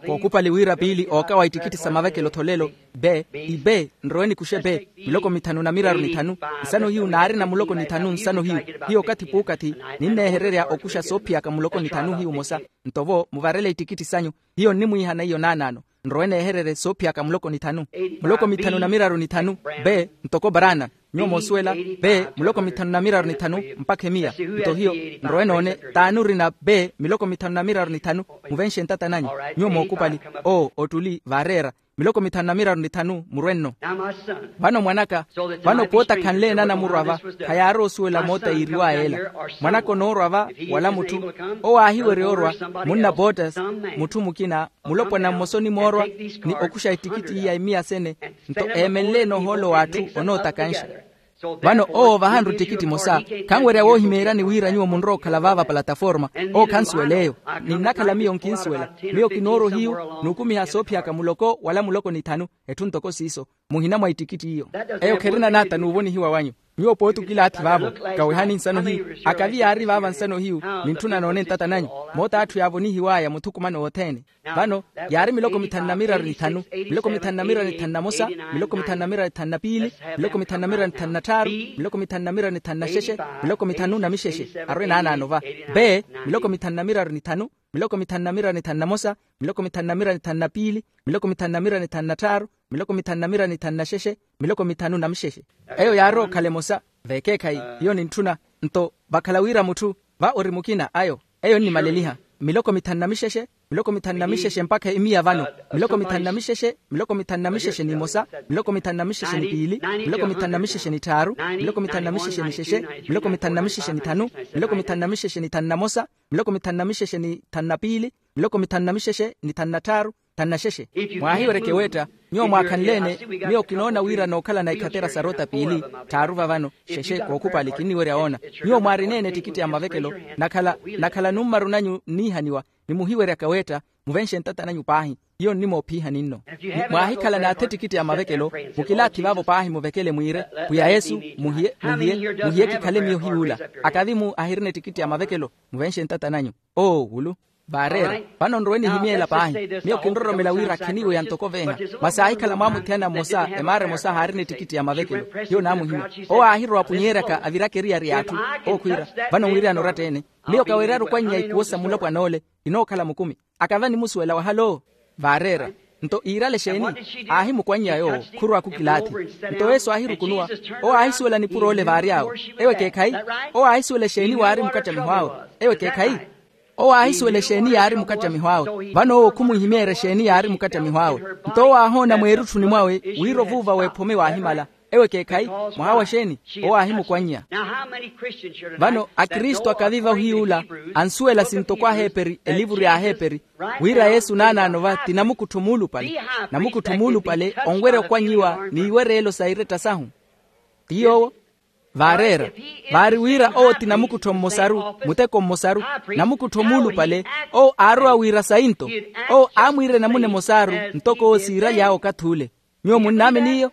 Kookupali wira piili ookawa ittikitti sa mavekelo-tho lelo. Be ibe nrowe nikuxe be miloko mithanu na miraru nithanu. Nsano hiyu naarina muloko nithanu nsano hiyu. Hiyo okathi puukathi ninneehererya okuxa soophiyaka muloko nithanu hiyu mosa. Nto vo muvarele ittikitti sanyu. Hiyo nnimwiihana iyo naanaano. Nrowe neehererye soophiyaka muloko nithanu. Muloko mithanu na miraru nithanu. Be ntoko barana. Nyuwo moosuwela. Be muloko mithanu na miraru nithanu mpakha emiya. Nto hiyo nrowe noone t'ani orina be miloko mithanu na miraru nithanu. Muvenxe ntata nanyu. Nyuwo mookupali. Oo ottuli vaareera miloko mithanu na miraru nithanu murwe nno. Vano mwanaka, vano poota khanle enanamurwa va. Khayaari osuwela moota yiiriwaya ela. Mwanaka onoorwa va wala mutthu owo aahiwerya orwa. Munna bootas mutthu mukina mulopwana mmosa onimoorwa ni okuxa ettikitti iya emiya sene. Nto eemenle-ene ohoolo w'atthu onootakanxa. Vano owo vahanru ettikitti emosa. Khanwerya woohimeeryani wira nyuwo munrowa okhala vaava plataforma. Owo khansuwela eyo. Ninnakhala miyo nkinsuwela. Miyo kinoorwa ohiyu n'ukumiha soophiyaka muloko wala muloko nithanu. Etthu ntoko siiso muhina mwa ittikitti iyo. Eyo kherina naata n'uvonihiwa wanyu. Nyuwo pooti okilaathi vaavo. Kawehani nsano hiyu. Akavi yaari vaava nsano hiyu. Nintthuna noone ntata nanyu. Moota atthu yaavonihiwaya muthukumano wothene. Vano yaari miloko mithanu na miraru nithanu. Miloko mithanu na miraru nithanu na mosa. Miloko mithanu na miraru nithanu na piili. Miloko mithanu na miraru nithanu na tthaaru. Miloko mithanu na miraru nithanu na xexe. Miloko mithanu na mixexe. Arwe naanaano va. Be miloko mithanu na miraru nithanu. Miloko mithanu na miraru nithanu na mosa. Miloko mithanu na miraru nithanu na piili. Miloko mithanu na miraru nithanu na tthaaru. Miloko mithanu na miraru nithanu na xexe. Miloko mithanu na mixexe. Eyo yaari okhala emosa. Veekeekhayi hiyo nintthuna. Nto vakhala wira mutthu va ori mukina ayo. Eyo nnimaleliha miloko mithanu na mixexe. Miloko mithanu na mixexe mpakha emiya vano. Miloko mithanu na mixexe. Miloko mithanu na mixexe n'imosa. Miloko mithanu na mixexe ni piili. Miloko mithanu na mixexe ni tthaaru. Miloko mithanu na mixexe ni xexe. Miloko mithanu na mixexe ni thanu. Miloko mithanu na mixexe ni thanu na mosa. Miloko mithanu na mixexe ni thanu na piili. Miloko mithanu na mixexe ni thanu na tthaaru. Thanu na xexe. Mwaahiwereke weetta nyuwo mwaakhanle-ene. Miyo kinoona wira nookhalana ikhatera sa rota piili. Tthaaru vavano xexe kookhupali kinniwerya woona. Nyuwo mwaarina-ene ettikitti ya mavekelo. Nakhala nakhala nummaru nanyu nniihaniwa. Ni muhiweryaka weetta muvenxe ntata nanyu paahi. Hiyo nnimoophiiha ninno. Mwaahikhala naatha ettikitti ya mavekelo mukilaathi vaavo paahi muvekele mwiire. Pwiya yesu muhiye muhiye muhiye kikhale miyo hiy'ula. Akavi-mu ahirina ettikitti ya mavekelo muvenxe ntata nanyu. Oo wulu. Vaareera. Vano nrowe nihimyeela paahi. Miyo kinroromela wira khiniiweya ntoko veeha. Masi aahikhala mwaamuthiyana mmosa emaara emosa haarina ettikitti ya mavekelo. Hiyo naamuhimya. Owo aahirowa apunyeeryaka aviraka eriyari y'atthu. Owo khwiira vano mwiriyana oratta-ene. Miyo kaweeryaru okwannya ikuwo sa mulopwana ole. Inookhala mukumi. Akava nimusuwela wahalo. Vaareera. Nto iirale exeeni? Aahimukwannya yoowo khurw'aku kilaathi. Nto yesu aahirukunuwa. Owo aahisuwela nipuro ole vaary'awe. Ewo ekeekhayi? Owo aahisuwela exeeni waari mukattamiho awe? Ewo ekeekhayi? Owo aahisuwela exeeni yaari mukattamiho awe. Vano owo khumuhimeerya exeeni yaari mukattamiho awe. Nto owo aahoona mweerutthuni mwawe wira ovuuva w'ephome waahimala. Ewo ekeekhayi? Mwaha wa xeeni? Owo aahimukwannya. Vano akristu akaviva ohiy'ula ansuwela sintoko aheeperi elivuru y'aheeperi, wira yesu naanaano va ti namukuttho muulupale. Namukuttho muulupale onwerya okwannyiwa n'iwereelo sa iretta sahu. Ti yoowo. Vaareera. Vaari wira owo ti namukuttho mmosaru, muteko mmosaru. Namukuttho muulupale, owo aarowa wira sayi nto. Owo aamwiira enamuna emosaaru ntoko owo siiraly'awe okathi ule. Nyuwo munnaamini iyo?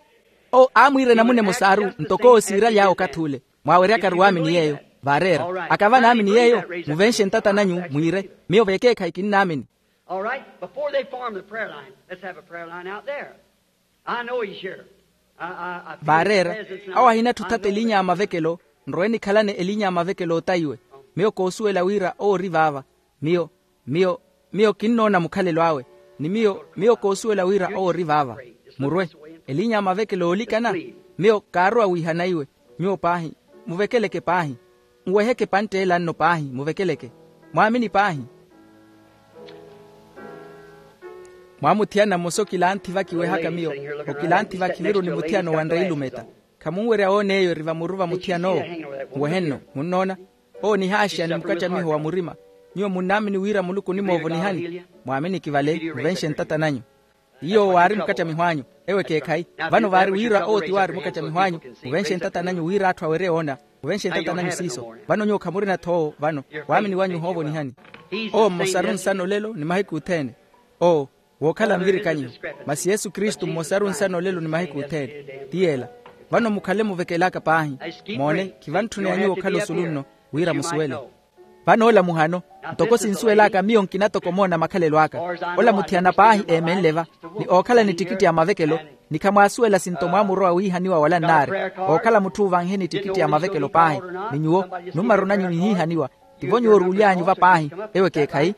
Owo aamwiira enamuna emosaaru ntoko owo siiraly'awe okathi ule. Mwaaweryakaru waamini yeeyo. Vaareera. Akava naamini yeeyo, muvenxe ntata nanyu mwiire. Miyo vekeekhayi kinnaamini. All right, before they form the prayer line, let's have a prayer line out there. I know he's here. I, I, I feel his presence now. Vaareera. Awo ahinatthu othata eliinya ya mavekelo. Nrowe nikhalane eliinya ya mavekelo otayiwe. Miyo koosuwela wira owo ori vaava. Miyo, miyo, miyo kinnoona mukhalelo awe. Ni miyo, miyo koosuwela wira owo ori vaava. Murwe. Eliinya ya mavekelo oolikana. Miyo kaarowa wiihana iwe. Nyuwo paahi, muvekeleke paahi. Nweheke epantt'ela nno paahi, muvekeleke. Mwaamini paahi. Mwaamuthiyana mmosa okilanthi vakiwehaka miyo. Okilanthi vakhiviru ni muthiyana owanre ilumeta. Khamunwerya woona eyo eri vamuru va muthiyana owo. Nwehenno munnoona? Owo nihaaxeya ni mukattamiho wa murima. Nyuwo munnaamini wira muluku onimoovonihani? Mwaaminiki vale muvenxe ntata nanyu. Iyo waari mukattamiho anyu. Ewo ekeekhayi. Vano vaari wira owo ti waari mukattamiho anyu. Muvenxe ntata nanyu wira atthu awerye woona. Muvenxe ntata nanyu siiso. Vano nyuwo khamurina-tho owo vano. Waamini wanyu ohoovonihani. Owo mmosaru nsana olelo ni mahiku othene. Owo wookhala nvirikanyiho. Masi yesu kristu mmosaru nsana olelo ni mahiku othene. Ti yeela. Vano mukhale muvekelaka paahi. Moone, khivantthuna ya nyuwo okhala osulu nno wira musuwele. Vano ola muhano. Ntoko sinsuwel'aka miyo nkina toko omoona makhalelo aka. Ola muthiyana paahi eemenle va ni ookhala ni ttikitti ya mavekelo. Ni khamwaasuwela sinto mwaamurowa wiihaniwa wala nnaari. Ookhala mutthu oovanhe ni ttikitti ya mavekelo paahi. Ni nyuwo nummaru nanyu nihiihaniwa. Tivo nyuwo oruuly'anyu va paahi. Ewo ekeekhayi.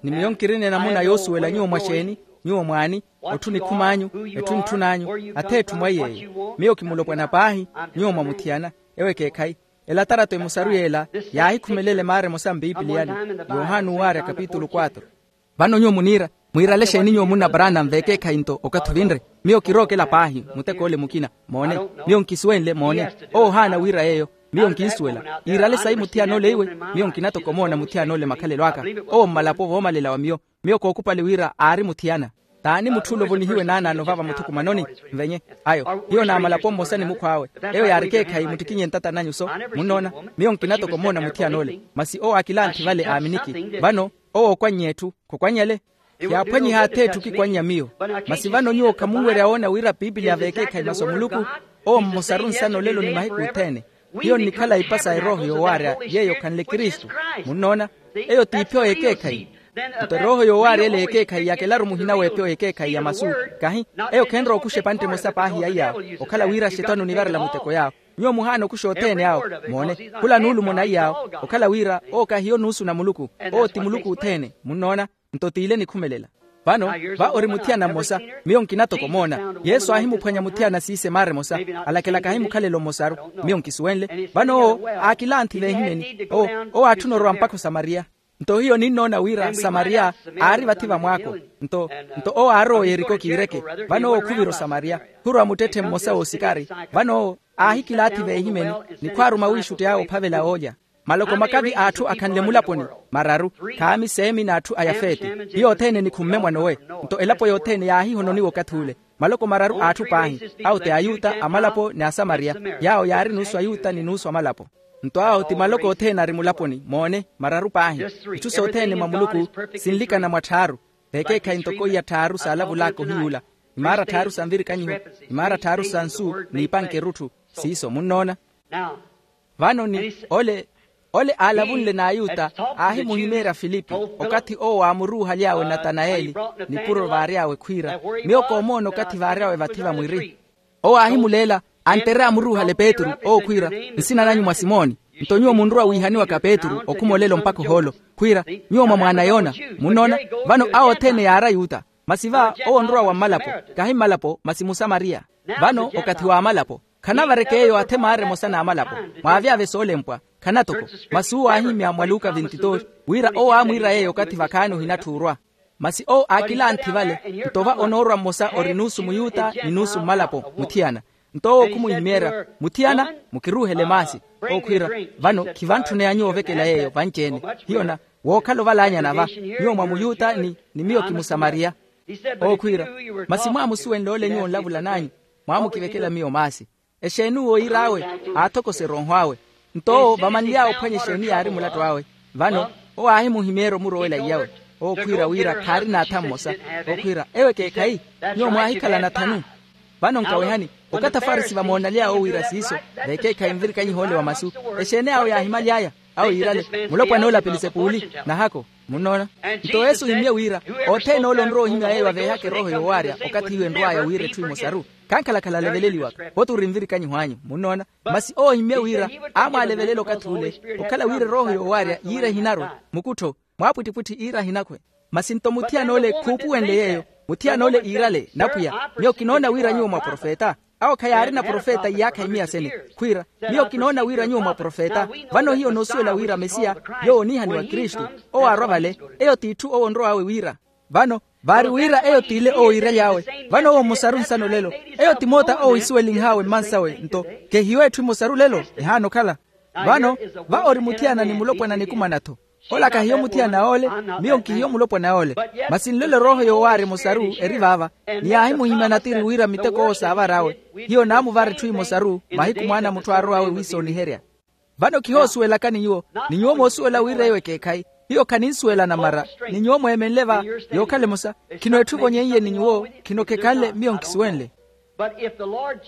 Ni miyo nkirina enamuna yoosuwela nyuwo mwaxeeni? Nyuwo mwaani? Otthu nikhum'anyu? Etthu ntthun'anyu? Ath'etthu mwa yeeyo. Miyo kimulopwana paahi. Nyuwo mwamuthiyana. Ewo ekeekhayi. Elatarato emosaru y'ela yaahikhumelele maara emosa mpipiliyani. Yohani owaarya kapitulu quatro. Vano nyuwo muniira mwiirale exeeni nyuwo munna paraana nveekeekhayi nto okathi ovinre? Miyo kirookela paahi. Mutek'ole mukina. Moone. Miyo nkisuwenle moone. Owo ohaana wiira yeeyo. Miyo nkinsuwela iirale sayi muthiyana ole iwe. Miyo nkina toko omoona muthiyana ole makhalelo aka. Owo mmalapo voomalela wa miyo. Miyo kookupale wira aari muthiyana. T'ani mutthu ole ovonihiwe naanaano vava muthukumanoni? Nvenye ayo hiyo naamalapo mmosa ni mukhw'awe. Eyo yaari ekeekhayi muttikinye ntata nanyu so. Munnoona? Miyo nkina toko omoona muthiyana ole masi owo aakilanthi vale aaminiki. Vano owo ookwannya etthu khokwannyale. Yaaphwanyiha ath'etthu okikwannya miyo. Masi vano nyuwo khamunwerya woona wira piipiliya veekeekhayi masu a muluku. Owo mmosaru nsana olelo ni mahiku othene. Hiyo nnikhala ipa sa erooho yoowaarya yeeyo okhanle kristu. Munnoona? Eyo t'ipyo y'ekeekhayi. Nto erooho yoowaarya ele y'ekeekhayi yakelaru muhina w'epyo y'ekeekhayi ya masu. Kahi eyo khenrowa okuxa epantte emosa paahi ya iyaawo okhala wira axetwani onivarela muteko yaawo. Nyuwo muhaana okuxa othene awo. Moone, khula nuulumo na iyaawo okhala wira owo kahiyo nuusu na muluku. Owo ti muluku othene. Munnoona? Nto t'ile nikhumelela. Vano va ori muthiyana mmosa. Miyo nkina toko omoona yesu aahimuphwanya muthiyana siise maara emosa. Alakela kahi mukhalelo mmosaru. Miyo nkisuwenle vano owo aakilanthi veehimeni. Owo owo aatthuna orowa mpakha osamariya. Nto hiyo ninnoona wira samariya aari vathi va mwaako. Nto nto owo aarowa oyeriko kiireke. Vano owo khuvira osamariya. Khurowa muttetthe mmosa w'osikari. Vano owo aahikilaathi veehimeni ni khwaaruma wiixuttey'awe ophavela oolya. Maloko makavi a atthu akhanle mulaponi mararu. Khaami seemi n'atthu a yafeti. Hiyo othene nikhumme mwa nowe. Nto elapo yothene yaahihononiwa okathi ule. Maloko mararu a atthu paahi, awo ti ayuta amalapo ni asamariya. Yaawo yaari nuusu ayuta ni nuusu amalapo. Nto awo ti maloko othene ari mulaponi moone mararu paahi. Itthu sothene mwa muluku sinlikana mwa tthaaru. Veekeekhayi ntoko iya tthaaru saalavul'aka ohiyuula, imaara tthaaru sa nvirikanyiho, imaara tthaaru sa nsu n'ipanke erutthu. Siiso munnoona? Vano ni ole ole aalavunle n'ayuta aahimuhimeerya filipi okathi owo aamuruuhaly'awe natanayeli nipuro vaary'awe khwiira, miyo koomoona okathi vaary'awe vathi va mwiri. Owo aahimuleela antere amuruuhale petru owo khwiira, nsina nanyu mwa simoni. Nto nyuwo munrowa wiihaniwaka petru okhuma olelo mpakha ohoolo khwiira, nyuwo mwa mwaana a yona. Munnoona? Vano awo othene yaari ayuta. Masi va owo onrowa wa mmalapo, kahi mmalapo masi musamariya. Vano okathi w'amalapo. Khanavareke eyo athe maara emosa n'amalapo. Mwaavyavye soolempwa. khanatoko. Masi uwo aahimya mwa luka vintitori wira owo aamwiira yeeyo okathi vakhaani ohinatthu orwa. Masi owo aakilanthi vale, nto va onoorwa mmosa ori nuusu muyuta ni nuusu mmalapo muthiyana. Nto owo khumuhimeerya, muthiyana, mukiruuhele maasi. Owo khwiira, vano khivantthune anyuwo ovekela yeeyo vanci-ene. Hiyo na wookhala ovalaanyana va, nyuwo mwa muyuta ni ni miyo kimusamariya. Owo khwiira, masi mwaamusuwenle ole nyuwo onlavulan'anyu, mwaamukivekela miyo maasi. Exeeni uwo iir'awe? Aathokose erooho awe. Nto owo vamanly'awe ophwanya exeeni yaari mulattu awe. Vano owo aahimuhimeerya omurowela iyawe. Owo khwiira wira khaari naatha mmosa. Owo khwiira, eyo ekeekhayi, nyuwo mwaahikhala nathanu. Vano nkawehani, okathi afarisi vamoonaly'awe owiira siiso, vekeekhayi nvirikanyiha ole wa masu. Exeeni awo yaahimaly'aya? Awo yiirale, mulopwana ole a pelisepuli, nahako. Munnoona? Nto yesu ohimmye wira, othene ole onrowa ohimya yeeyo aveehaka erooho yoowaarya okathi iwe enrw'aya wira etthu emosaru, khankhalakhala aleveleliwaka. Oti ori nvirikanyiho anyu. Munnoona? Masi owo ohimmye wira, aamwaalevelela okathi ule, okhala wira erooho yoowaarya yiira ehinarwe, mukuttho, mwaapwittipwitthi iira ahinakhwe. Masi nto muthiyana ole khuupuwenle yeeyo, muthiyana ole iirale, napwiya, miyo kinoona wira nyuwo mwaprofeta. Awo khayaarina profeta iyaakha imiya sene. Khwiira, miyo kinoona wira nyuwo mwaprofeta. Vano hiyo noosuwela wira mesiya, yoowo oniihaniwa kristu, owo aarwa vale. Eyo t'itthu owo onrow'awe wira. Vano, vaari wira eyo t'ile owo iiraly'awe. Vano owo mmosaru nsana olelo. Eyo ti moota owo ohisuwelinh'awe mmansawe nto, kehiyo etthu emosaru lelo, ehaana okhala. Vano, va ori muthiyana ni mulopwana nikumana-tho. Ola kahiyo muthiyana ole, miyo nkihiyo mulopwana ole. Masi nlole erooho yoowaarya emosaru eri vaava, ni yaahimuhimya natiri wira miteko owo saavar'awe. Hiyo naamuvara etthu emosaru mahiku mwaana a mutthu aarow'awe wiisooniherya. Vano kihoosuwelakani nyuwo, ni nyuwo moosuwela wira eyo ekeekhayi. Hiyo khaninsuwela namara, ni nyuwo mweemenle va, yookhala emosa. Khino etthu evonyeiye ni nyuwo, khino khekhanle miyo nkisuwenle.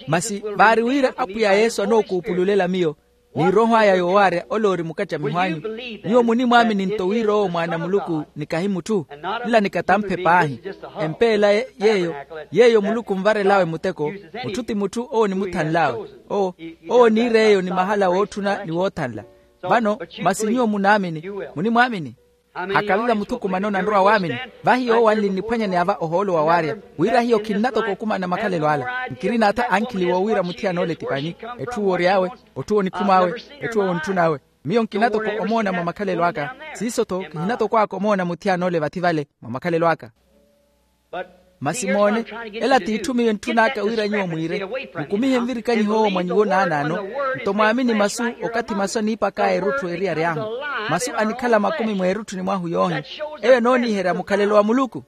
Masi vaari wira apwiya yesu anookuupululela miyo, ni erooho aya yoowaarya ole ori mukattamiho anyu, nyuwo munimwaamini nto wira owo mwaana a muluku ni kahi mutthu? Nla ni katamphe paahi. Empeela yeeyo, yeeyo muluku onvarel'awe muteko. Mutthu ti mutthu owo onimuthanl'awe. Owo, owo oniira eyo ni mahala wootthuna ni woothanla. Vano, masi nyuwo munaamini, munimwaamini? Hakaviva muthukumano nanrowa waamini. Vahi yoowo anli nniphwanyani ava ohoolo wawaarya, wira hiyo khinnatoka okumana makhalelo ala. Nkirina atha ankhili woowiira muthiyana ole ti pani, etthu woory'awe, otthu wonikhum'awe, etthu wonitthun'awe. Miyo nkinatoka omoona mwa makhalelo aka. Siiso-tho kihinatokw'aka omoona muthiyana ole vathi vale mwa makhalelo aka. Masi moone, ela t'itthu miyo entthun'aka wira nyuwo mwiire, mukumihe nvirikanyiho owo mwa nyuwo naanaano. Nto mwaamini masu, okathi masu aniipak'aya erutthu eeriyaryahu, masu anikhala makumi mweerutthuni mwahu yoohi. Eyo enooniiherya mukhalelo wa muluku.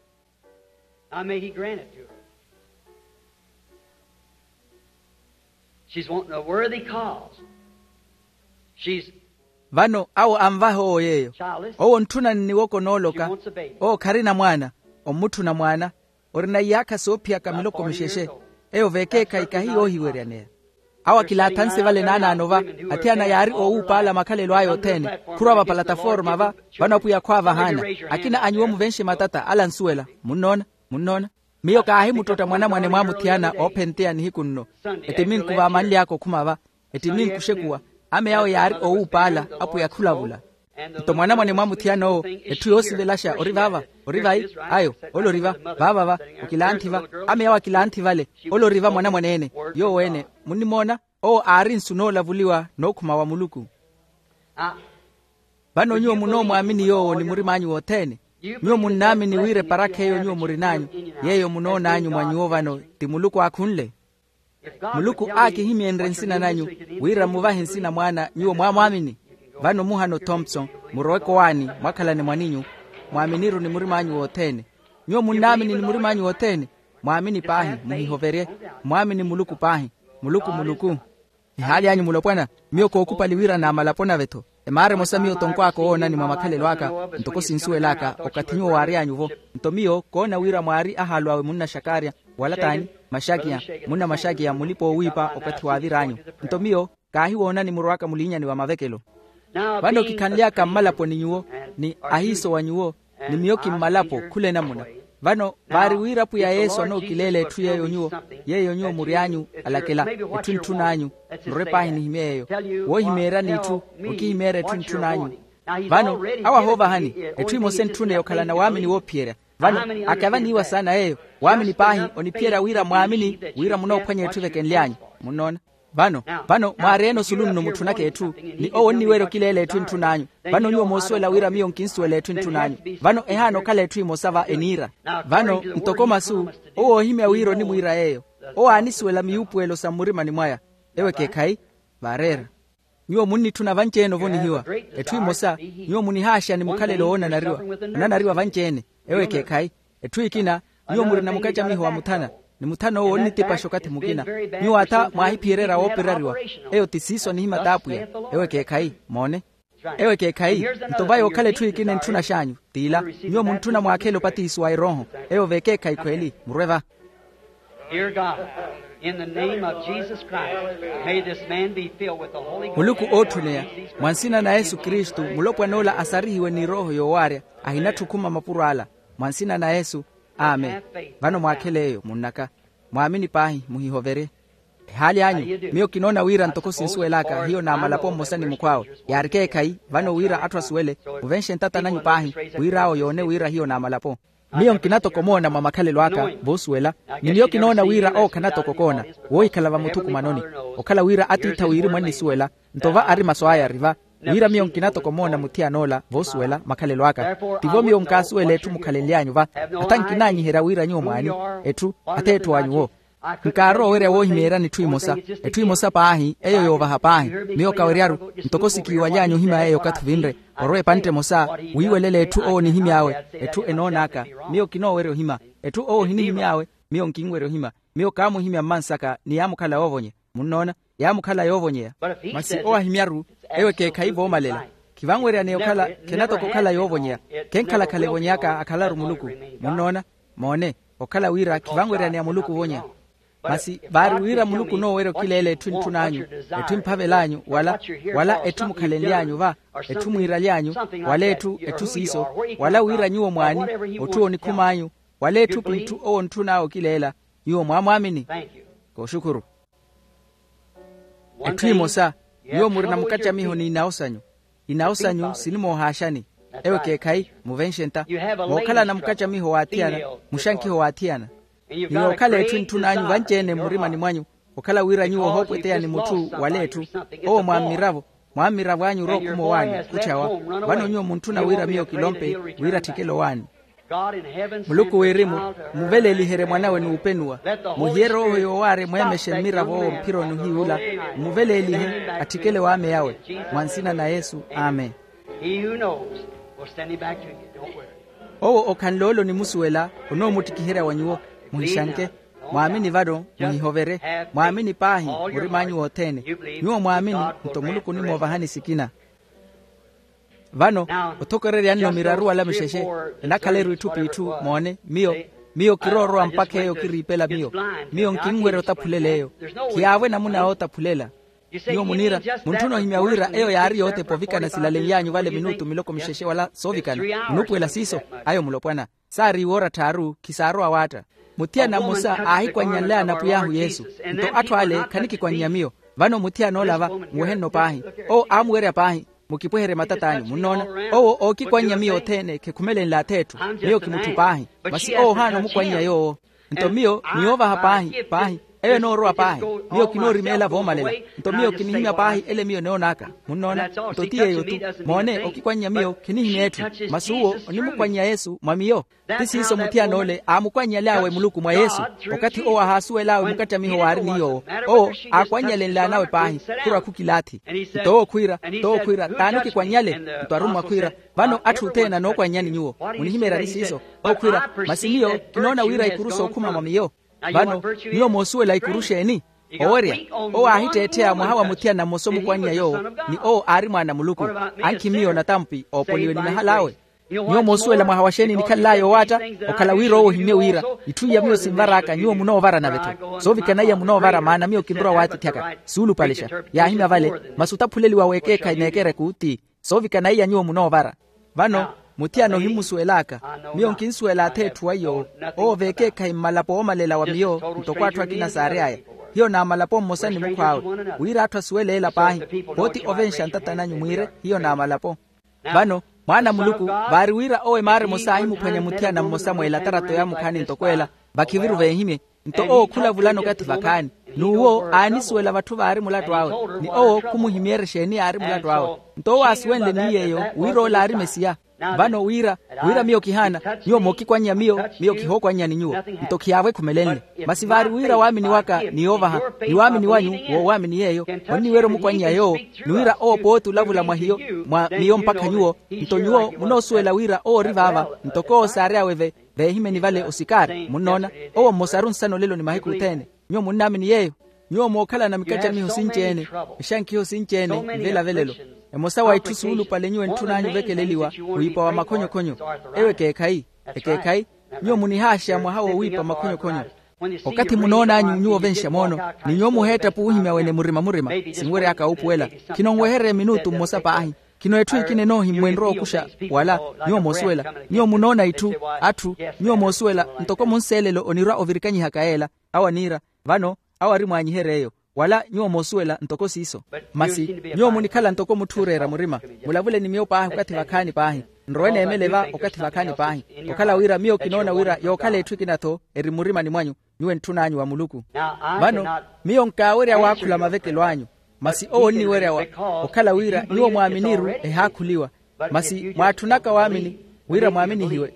Now may he grant it to her. She's wanting a worthy cause. She's Vano awo anvaha owo yeeyo. Owo ontthuna nniwoko nooloka. Owo kharina mwaana. Ommutthuna mwaana. Orina iyaakha soophiyaka miloko mixexe. Eyo vekeekhayi kahi yoohiweryaneya. Awo akilaathanse vale naanaano va, athiyana yaari oowuupaala makhalelo aya othene. Khurwa vapalataforma va, vano apwiya khwaavahaana. Akina a nyuwo muvenxe matata ala nsuwela. Munnoona? Munnoona? Miyo kaahimuttotta mwanamwane mwa muthiyana oophenteya nihiku nno. Ettiminku vaamanly'aka okhuma va, ettiminku oxekuwa, ame awo yaari oowuupaala. Apwiya khulavula. Nto mwanamwane mwa muthiyana owo, etthu yoosivelaxa ori vaava. Ori vayi? Ayo, ole ori va. Vaava va. Okilanthi va. Ame awo akilanthi vale. Ole ori va mwanamwane-ene. Yoowo-ene, munnimoona? Owo aari nsu noolavuliwa nookhuma wa muluku. Vano nyuwo munoomwaamini yoowo ni murim'anyu wothene? Nyuwo munnaamini wira eparakha eyo nyuwo murin'anyu, yeeyo munoon'anyu mwa nyuwo vano, ti muluku aakhunle? Muluku aakihimyenrye nsina nanyu, wira muvahe nsina mwaana nyuwo mwaamwaamini. Vano muhano thompson, murowe kowaani, mwakhalane mwaninyu. Mwaaminiru ni murim'anyu wothene. Nyuwo munnaamini ni murim'anyu wothene? Mwaamini paahi, muhihoverye. Mwaamini muluku paahi. Muluku muluku. Ehaaly'anyu mulopwana, miyo kookhupali wira naamalapo nave-tho. Emaara emosa miyo tonkw'aka owoonani mwa makhalelo aka, ntoko sinsuwel'aka okathi nyuwo waary'anyu-vo. Nto miyo koona wira mwaari ahaalu awe munna xakaarya, wala t'ani? Maxakiya. Munna maxakiya mulipa-oowiipa okathi waavir'anyu. Nto miyo kaahiwoonani murowaka muliinyani va mavekelo. Vano kikhanly'aka mmalaponi nyuwo, ni ahiiso wa nyuwo, ni miyo kimmalapo khula enamuna. Vano vaari wira apwiya yesu anookileela etthu yeeyo nyuwo, yeeyo nyuwo mury'anyu, alakela, etthu entthun'anyu. Nrore paahi nihimye yeeyo. Woohimeeryani itthu, okihimeerya etthu entthun'anyu. Vano awo ahoovahani, etthu emosa entthune okhalana waamini woophiyerya. Vano akavaniiwa saana yeeyo. Waamini paahi oniphiyerya wira mwaamini, wira munoophwanya etthu evekenly'anyu. Munnoona? Vano, vano mwaareene osulu nno mutthunaka etthu, ni owo onniwerya okileela etthu entthun'anyu. Vano nyuwo moosuwela wira miyo nkinsuwela etthu entthun'anyu. Vano ehaana okhala etthu emosa va eniira. Vano ntoko masu, owo oohimya wira onimwiira yeeyo. Owo aanisuwela miyuupuwelo sa mmurimani mwaya. Ewo ekeekhayi. Vaareera. Nyuwo munnitthuna vanci-ene ovonihiwa. Etthu emosa, nyuwo munihaaxa ni mukhalelo woonanariwa, onanariwa vanci-ene. Ewo ekeekhayi. Etthu ekina, nyuwo murina mukacamiho wa muthana, ni muthana owo onnitipaxa okathi mukina. Nyuwo atha mwaahiphiyererya woopirariwa. Eyo ti siiso anihimya t'apwiya. Ewo ekeekhayi. Moone. Ewo ekeekhayi. Nto va yookhala etthu ekina entthunax'anyu, t'ila. Nyuwo muntthuna mwaakhele opatiso wa erooho. Eyo v'ekeekhayi khweli murwe va. Dear God, in the name of Jesus Christ, may this man be filled with the Holy Ghost. Muluku ootthuneya, mwa nsina na yesu kristu, mulopwan'ola asarihiwe ni erooho yoowaarya. Ahinatthi okhuma mapuro ala. Mwa nsina na yesu. Amen. Vano mwaakhele eyo munn'aka. Mwaamini paahi, muhihoverye. Ehaali anyu, miyo kinoona wira ntoko sinsuwel'aka hiyo n'amalapo mmosa ni mukhw'awe. Yaari ekeekhayi. Vano wira atthu asuwele, muvenxe ntata n'anyu paahi, wira awo yoone wira hiyo n'amalapo. Miyo nkina toko moona mwa makhalelo aka, voosuwela. Ni miyo kinoona wira owo khana toko koona, woohikhala vamuthukumanoni. Okhala wira atiitha wirimu annisuwela, nto va ari masu aya ari va. Wira miyo nkina toko moona muthiyan'ola voosuwela makhalelo aka. Tivo miyo nkaasuwela etthu mukhalenly'anyu va. Atha nkinaanyiherya wira nyuwo mwaani, etthu, ath'etthu anyu wo. Nkaarowa owerya woohimeeryani etthu emosa. Etthu emosa paahi eyo yoovaha paahi. Miyo kaweryaru, ntoko sikiiwaly'anyu ohimya yeeyo okathi ovinre. Orowa epantte emosa, wiiwelela etthu owo onihimy'awe. Etthu enoon'aka. Miyo kinoowerya ohimya. Etthu owo ohinihimy'awe. Miyo nkinwerya ohimya. Miyo kaamuhimya mmansaka ni yaamukhala yoovonya. Munnoona? Yaamukhala yoovonyeya. Masi owo ahimyaru, ewo ekeekhayi voomalela. Khivanweryaneya okhala, khena toko okhala yoovonyeya. Khenkhala-khala evonyeyaka akhalaru muluku. Munnoona? Moone. Okhala wira khivanweryaneya muluku ovonya. Masi vaari wira muluku onoowerya okileela etthu entthun'anyu, etthu emphavel'anyu wala, wala etthu mukhalenly'anyu va, etthu mwiiraly'anyu, wala etthu etthu siiso, wala wira nyuwo mwaani, otthu onikhum'anyu, wala etthu p'itthu owo ontthun'awe okileela. Nyuwo mwaamwaamini. Kooxukhuru. Etthu emosa, nyuwo murina mukacamiho n'inawo sanyu. Inawo sanyu sinimoohaaxani. Ewo ekeekhayi. Muvenxe nta. Mookhalana mukacamiho w'athiyana, muxankiho w'athiyana. Ni yookhala etthu entthun'anyu vanci-ene mmurimani mwanyu, okhala wira nyuwo ohoopweteya ni mutthu wala etthu. Owo mwammiravo, mwammiravo anyu orookhuma owaani khutthawa. Vano nyuwo muntthuna wira miyo kilompe, wira atthikele owaani. Muluku wirimu, muveleeliherye mwan'awe n'upenuwa. Muhiye erooho yoowaarya emweemexe mmiravo owo mphironi ohiy'ula. Muveleelihe, atthikele waamey'awe. Mwa nsina na yesu. Amen. He who knows will send him back to you. Don't worry. Owo okhanle ole onimusuwela, onoomuttikiherya wa nyuwo. Muhixanke. Mwaamini vano, muhihoverye. Mwaamini paahi, murim'anyu wothene. Nyuwo mwaamini, nto muluku onimoovahani sikina. Vano, othokorerya nno miraru wala mixexe, enakhala eri itthu p'itthu. Moone, miyo, miyo kiroorowa mpakha eyo kiriipela miyo. Miyo nkinwerya otaphulela eyo. Khiyaavo enamuna yootaphulela. Nyuwo muniira, muntthuna ohimya wira eyo yaari yootepa ovikana silalenly'anyu vale minutu miloko mixexe wala soovikana. Munuupuwela siiso. Ayo mulopwana. Saari iwoora tthaaru, khisaarowa waatta. Muthiyana mmosa aahikwannyalelaya na pwiy'ahu yesu. Nto atthu ale khanikikwannya miyo. Vano muthiyana ola va, muwehenno paahi. Owo aamuwerya paahi, mukipweherye matat'anyu. Munnoona? Owo ookikwannya miyo othene khekhumelenle ath'etthu. Miyo kimutthu paahi. Masi owo ohaana omukwannya yoowo. Nto miyo, niyoovaha paahi paahi. Eyo enoorowa paahi. Miyo kinoorimeela voomalela. Nto miyo kinihimya paahi ele miyo enoon'aka. Munnoona? Nto ti yeeyo-tu. Moone, okikwannya miyo khinihimya etthu. Masi uwo onimukwannya yesu mwa miyo. Ti siiso muthiyana ole aamukwannyal'awe muluku mwa yesu. Okathi owo ahaasuwel'awe mukattamiho waari ni yoowo, owo aakwannyalenl'anawe paahi. Khurwa khukilaathi. Nto owo khwiira, nto owo khwiira t'ani okikwannyale? Nto arummwa khwiira, vano atthu othene anookwannyani nyuwo. Munihimeeryani siiso? Owo khwiira, masi miyo kinoona wira ikuru sookhuma mwa miyo. Vano, nyuwo moosuwela ikuru xeeni? Owerya. Owo aahitteettheya mwaha wa muthiyana mmosa omukwannya yoowo, ni owo aari mwaana a muluku. Ankhi miyo natampi oopoliwe ni mahal'awe. Nyuwo moosuwela mwaha wa xeeni nikhalel'aya owaatta? Okhala wira owo ohimmye wira, itthu iya miyo sinvar'aka nyuwo munoovara nave-tho. Soovikana iya munoovara maana miyo kinrowa waatitthaka. Suulupalexa. Yaahimya vale. Masi otaphuleliwa w'ekeekhayi n'ekereku ti. Soovikana iya nyuwo munoovara. Vano, muthiyana ohimusuwel'aka. Miyo nkinsuwela ath'etthu wa iy'owo. Owo v'ekeekhayi mmalapo oomalela wa miyo ntoko atthu akina saary'aya. Hiyo n'amalapo mmosa ni mukhw'awe. Wira atthu asuwele ela paahi. Pooti ovenxa ntata n'anyu mwiire hiyo n'amalapo. Vano, mwaana a muluku, vaari wira owo emaara emosa aahimuphwanya muthiyana mmosa mwa elatarato yaamukhaani ntoko ela, vakhiviru veehimye. Nto owo khulavulana okathi vakhaani. N'uwo aanisuwela vatthu vaari mulattu awe, ni owo khumuhimyeera exeeni yaari mulattu awe. Nto owo aasuwenle ni yeeyo wira ola aari mesiya. Vano wira, wira miyo kihaana, nyuwo mookikwannya miyo, miyo kihookwannyani nyuwo. Nto khiyaavo ekhumelenle. Masi vaari wira waamini waka ni yoovaha, ni waamini wanyu, woowaamini yeeyo, onniwerya omukwannya yoowo, ni wira owo pooti olavula mwa hiyo, mwa miyo mpakha nyuwo. Nto nyuwo munoosuwela wira owo ori vaava, ntoko owo saary'awe ve, veehimeni vale osikaari munnoona. Owo mmosaru nsana olelo ni mahiku othene. Nyuwo munnaamini yeeyo? Nyuwo mookhalana mikacamiho sinci-ene, exankiho sinci-ene, nvelavelelo. Emosa wa itthu suulupale nyuwo entthun'anyu ovekeleliwa, wiipa wa makhonyokhonyo. Eyo ekeekhayi. Ekeekhayi. Nyuwo munihaaxa mwaha woowiipa makhonyokhonyo. Okathi munoon'anyu nyuwo ovenxa moono, ni nyuwo muheettapu wuhimya wene murima-murima, sinwery'aka wuupuwela. Khinonwehererya minutu mmosa paahi. Khino etthu ekina enoohimmwenrya okuxa. Wala, nyuwo moosuwela, nyuwo munoona itthu, atthu, nyuwo moosuwela ntoko munseelelo onirwa ovirikanyihaka yeela. Awo aniira, vano, awo ari mwaanyihery'eyo. Wala nyuwo moosuwela ntoko siiso. Masi, nyuwo munikhala ntoko mutthu ooreera murima. Mulavule ni miyo paahi okathi vakhaani paahi. Nrowe neemele va okathi vakhaani paahi. Okhala wira miyo kinoona wira yookhala etthu ekina-tho eri mmurimani mwanyu, nyuwo entthun'anyu wa muluku. Vano, miyo nkaawerya waakhula mavekelo anyu. Masi owo onniwerya wa, okhala wira nyuwo mwaaminiru ehaakhuliwa. Masi mwaatthunaka waamini, wira mwaaminihiwe.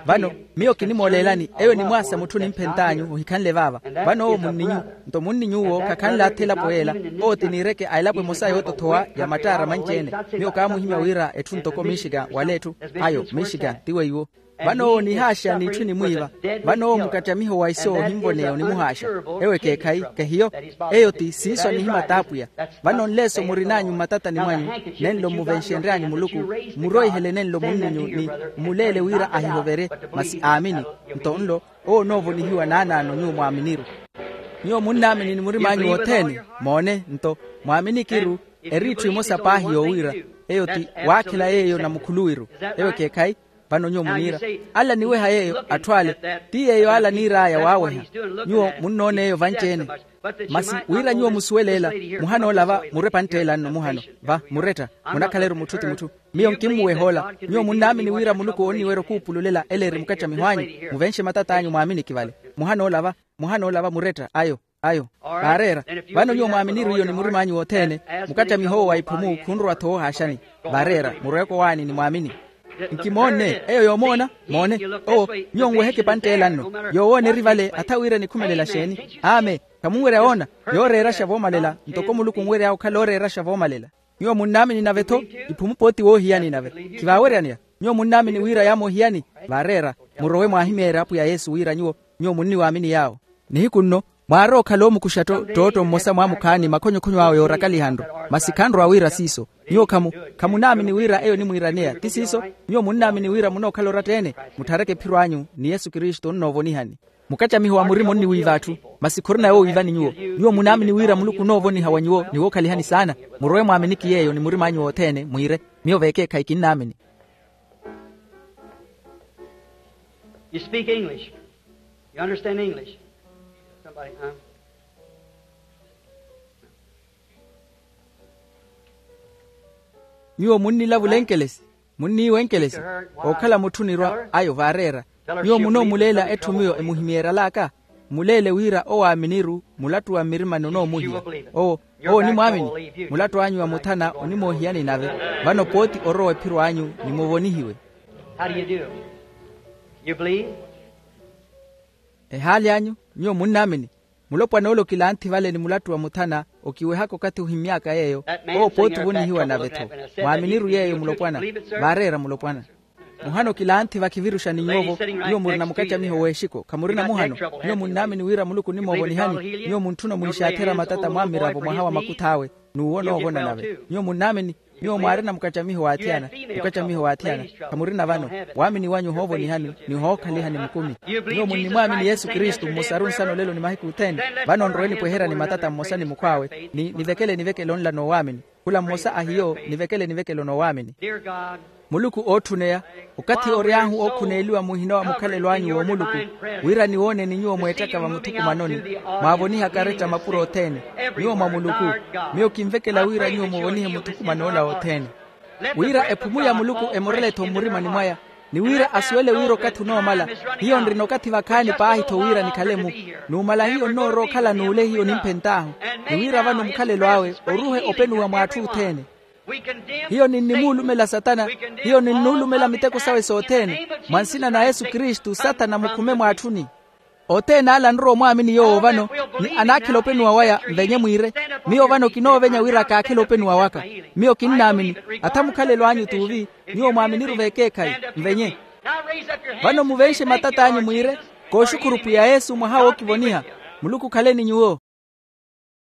Vano, miyo kinimooleelani eyo enimwaasa mutthu onimphent'anyu ohikhanle vaava. Vano owo munninyu, nto munninyuwo khakhanle atha elapo yeela. Owo ti niireke a elapo emosa yootothowa ya mattaara manci-ene. Miyo kaamuhimya wira etthu ntoko michigan wala etthu, ayo michigan ti weiwo. Vano owo onihaaxa n'itthu enimwiiva. Vano owo mukacamiho wa iso ohinvoneya onimuhaaxa. Eyo ekeekhayi, kehiyo. Eyo ti siiso anihimata apwiya. Vano nleeso murin'anyu mmatatani mwanyu, nenlo mmuvenxenry'anyu muluku, mmuroihele nenlo munninyu ni mmuleele wira ahihoverye. Masi aamini. Nto nlo, owo onoovonihiwa naanaano nyuwo mwaaminiru. Nyuwo munnaamini ni murim'anyu wothene. Moone nto, mwaaminikiru, eri itthu emosa paahi yoowiira. Eyo ti, waakhela yeeyo na mukhuluwiru. Eyo ekeekhayi. Vano nyuwo muniira, ala aniweha yeeyo atthu ale, ti yeeyo ala aniir'aya waaweha. Nyuwo munnoona eyo vanci-ene. Masi wira nyuwo musuwele ela, muhana ola va mure pantt'ela nno muhano, va muretta, munakhala-ru mutthu ti mutthu. Miyo nkimmuweha ola. Nyuwo munnaamini wira muluku oonniwerya okuupululela ela eri mukacamiho anyu? Muvenxe matat'anyu mwaaminiki vale. Muhana ola va, muhana ola va muretta ayo. Ayo. Vaareera. Vano nyuwo mwaaminiru iyo ni murim'anyu wothene, mukacamiho owo wa iphumu khunrowa-tho woohaaxani. Vaareera murowe kowaani ni mwaamini. Nkimoonne eyo yoomoona. Moone, owo, nyuwo nweheke pantt'ela nno. Yoowoona eri vale atha wira enikhumelela xeeni? Aame. Khamunwerya woona? Yooreeraxa voomalela ntoko muluku onwery'awe okhala ooreeraxa voomalela. Nyuwo munnaamini nave-tho, iphumu pooti woohiyani nave. Khivaaweryaneya. Nyuwo munnaamini wira yaamoohiyani? Vaareera, murowe mwaahimeerye apwiya yesu wira nyuwo, nyuwo munniwaamini yaawo. Nihiku nno, mwaarwa okhala oomukuxa ttootto mmosa mwaamukhaani makhonyokhonyo awe yoorakaliha nru. Masi khanrowa wira siiso. Nyuwo khamu, khamunaamini wira eyo onimwiiraneya ti siiso? Nyuwo munnaamini wira munookhala oratta-ene? Mutthareke ephiro anyu ni yesu kristu onnoovonihani. Mukacamiho wa murima onniwiiva atthu, masi khurina yoowiivani nyuwo. Nyuwo munaamini wira muluku onoovoniha wa nyuwo ni wookhalihani saana. Murowe mwaaminiki yeeyo ni murim'anyu wothene mwiire, miyo vekeekhayi kinnaamini. You speak English? You understand English? Somebody, huh? Nyuwo munnilavula enkelesi? Munniiwa enkelesi? Ookhala mutthu onirwa ayo vaareera. Nyuwo munoomuleela etthu miyo emuhimyeerya alaaka? Muleele wira owaaminiru mulattu wa mmirimani onoomuhiya. Owo, owo onimwaamini. Mulattu anyu wa muthana onimoohiyani nave. Vano pooti orowa ephiro anyu ni muvonihiwe. How do you do? You believe? Ehaali anyu? Nyuwo munnaamini? Mulopwana ole okilanthi vale ni mulattu wa muthana okiwehaka okathi ohimmy'aka yeeyo. Owo pooti ovonihiwa nave-tho. Mwaaminiru yeeyo mulopwana. Vaareera mulopwana. Muhana okilanthi vakiviruxa ni nyuwo-vo. Nyuwo murina mukacamiho w'exiko khamurina muhano? Nyuwo munnaamini wira muluku onimoovonihani? Nyuwo muntthuna omwiixaatherya matata mwammiravo mwaha wa makuth'awe, n'uwo onoovona nave. Nyuwo munnaamini? Nyuwo mwaarina mukacamiho w'athiyana. Mukacamiho w'athiyana. Khamurina vano. Waamini wanyu ohoovonihani ni ohookhalihani mukumi. Nyuwo munnimwaamini yesu kristu mmosaru nsana olelo ni mahiku othene. Vano nrowe nipweherya ni matata mmosa ni mukhw'awe, ni nivekele nivekelo nla n'owaamini. Khula mmosa a hiyo nivekele nivekelo n'owaamini. Muluku ootthuneya, okathi ory'ahu ookhuneeliwa muhina wa mukhalelo anyu w'omuluku, wira niwooneni nyuwo mweettaka vamuthukumanoni, mwaavoniha karetta mapuro othene. Nyuwo mwa muluku. Miyo kinvekela wira nyuwo muvonihe muthukuman'ola othene. Wira ephumu ya muluku emorele-tho mmurimani mwaya. ni wira asuwele wira okathi onoomala. Hiyo nrina okathi vakhaani paahi-tho wira nikhale-mu. Numala hiyo nnoorowa okhala n'ule hiyo nimphent'ahu, ni wira vano mukhalelo awe oruhe openuwa mw'atthu othene. Hiyo ninnimuulumela satana. Hiyo ninnuulumela miteko sawe sothene. Mwa nsina na yesu kristu satana mukhume mw'atthuni. Othene ale anrowa omwaamini yoowo vano, ni anaakhela openuwa waya nvenye mwiire. Miyo vano kinoovenya wira kaakhele openuwa waka. Miyo kinnaamini. Atha mukhalelo anyu t'uvi. Nyuwo mwaaminiru v'ekeekhayi. Nvenye. Vano muvenxe matat'anyu mwiire, kooxukhuru pwiya yesu mwaha wookivoniha. Muluku okhale ni nyuwo.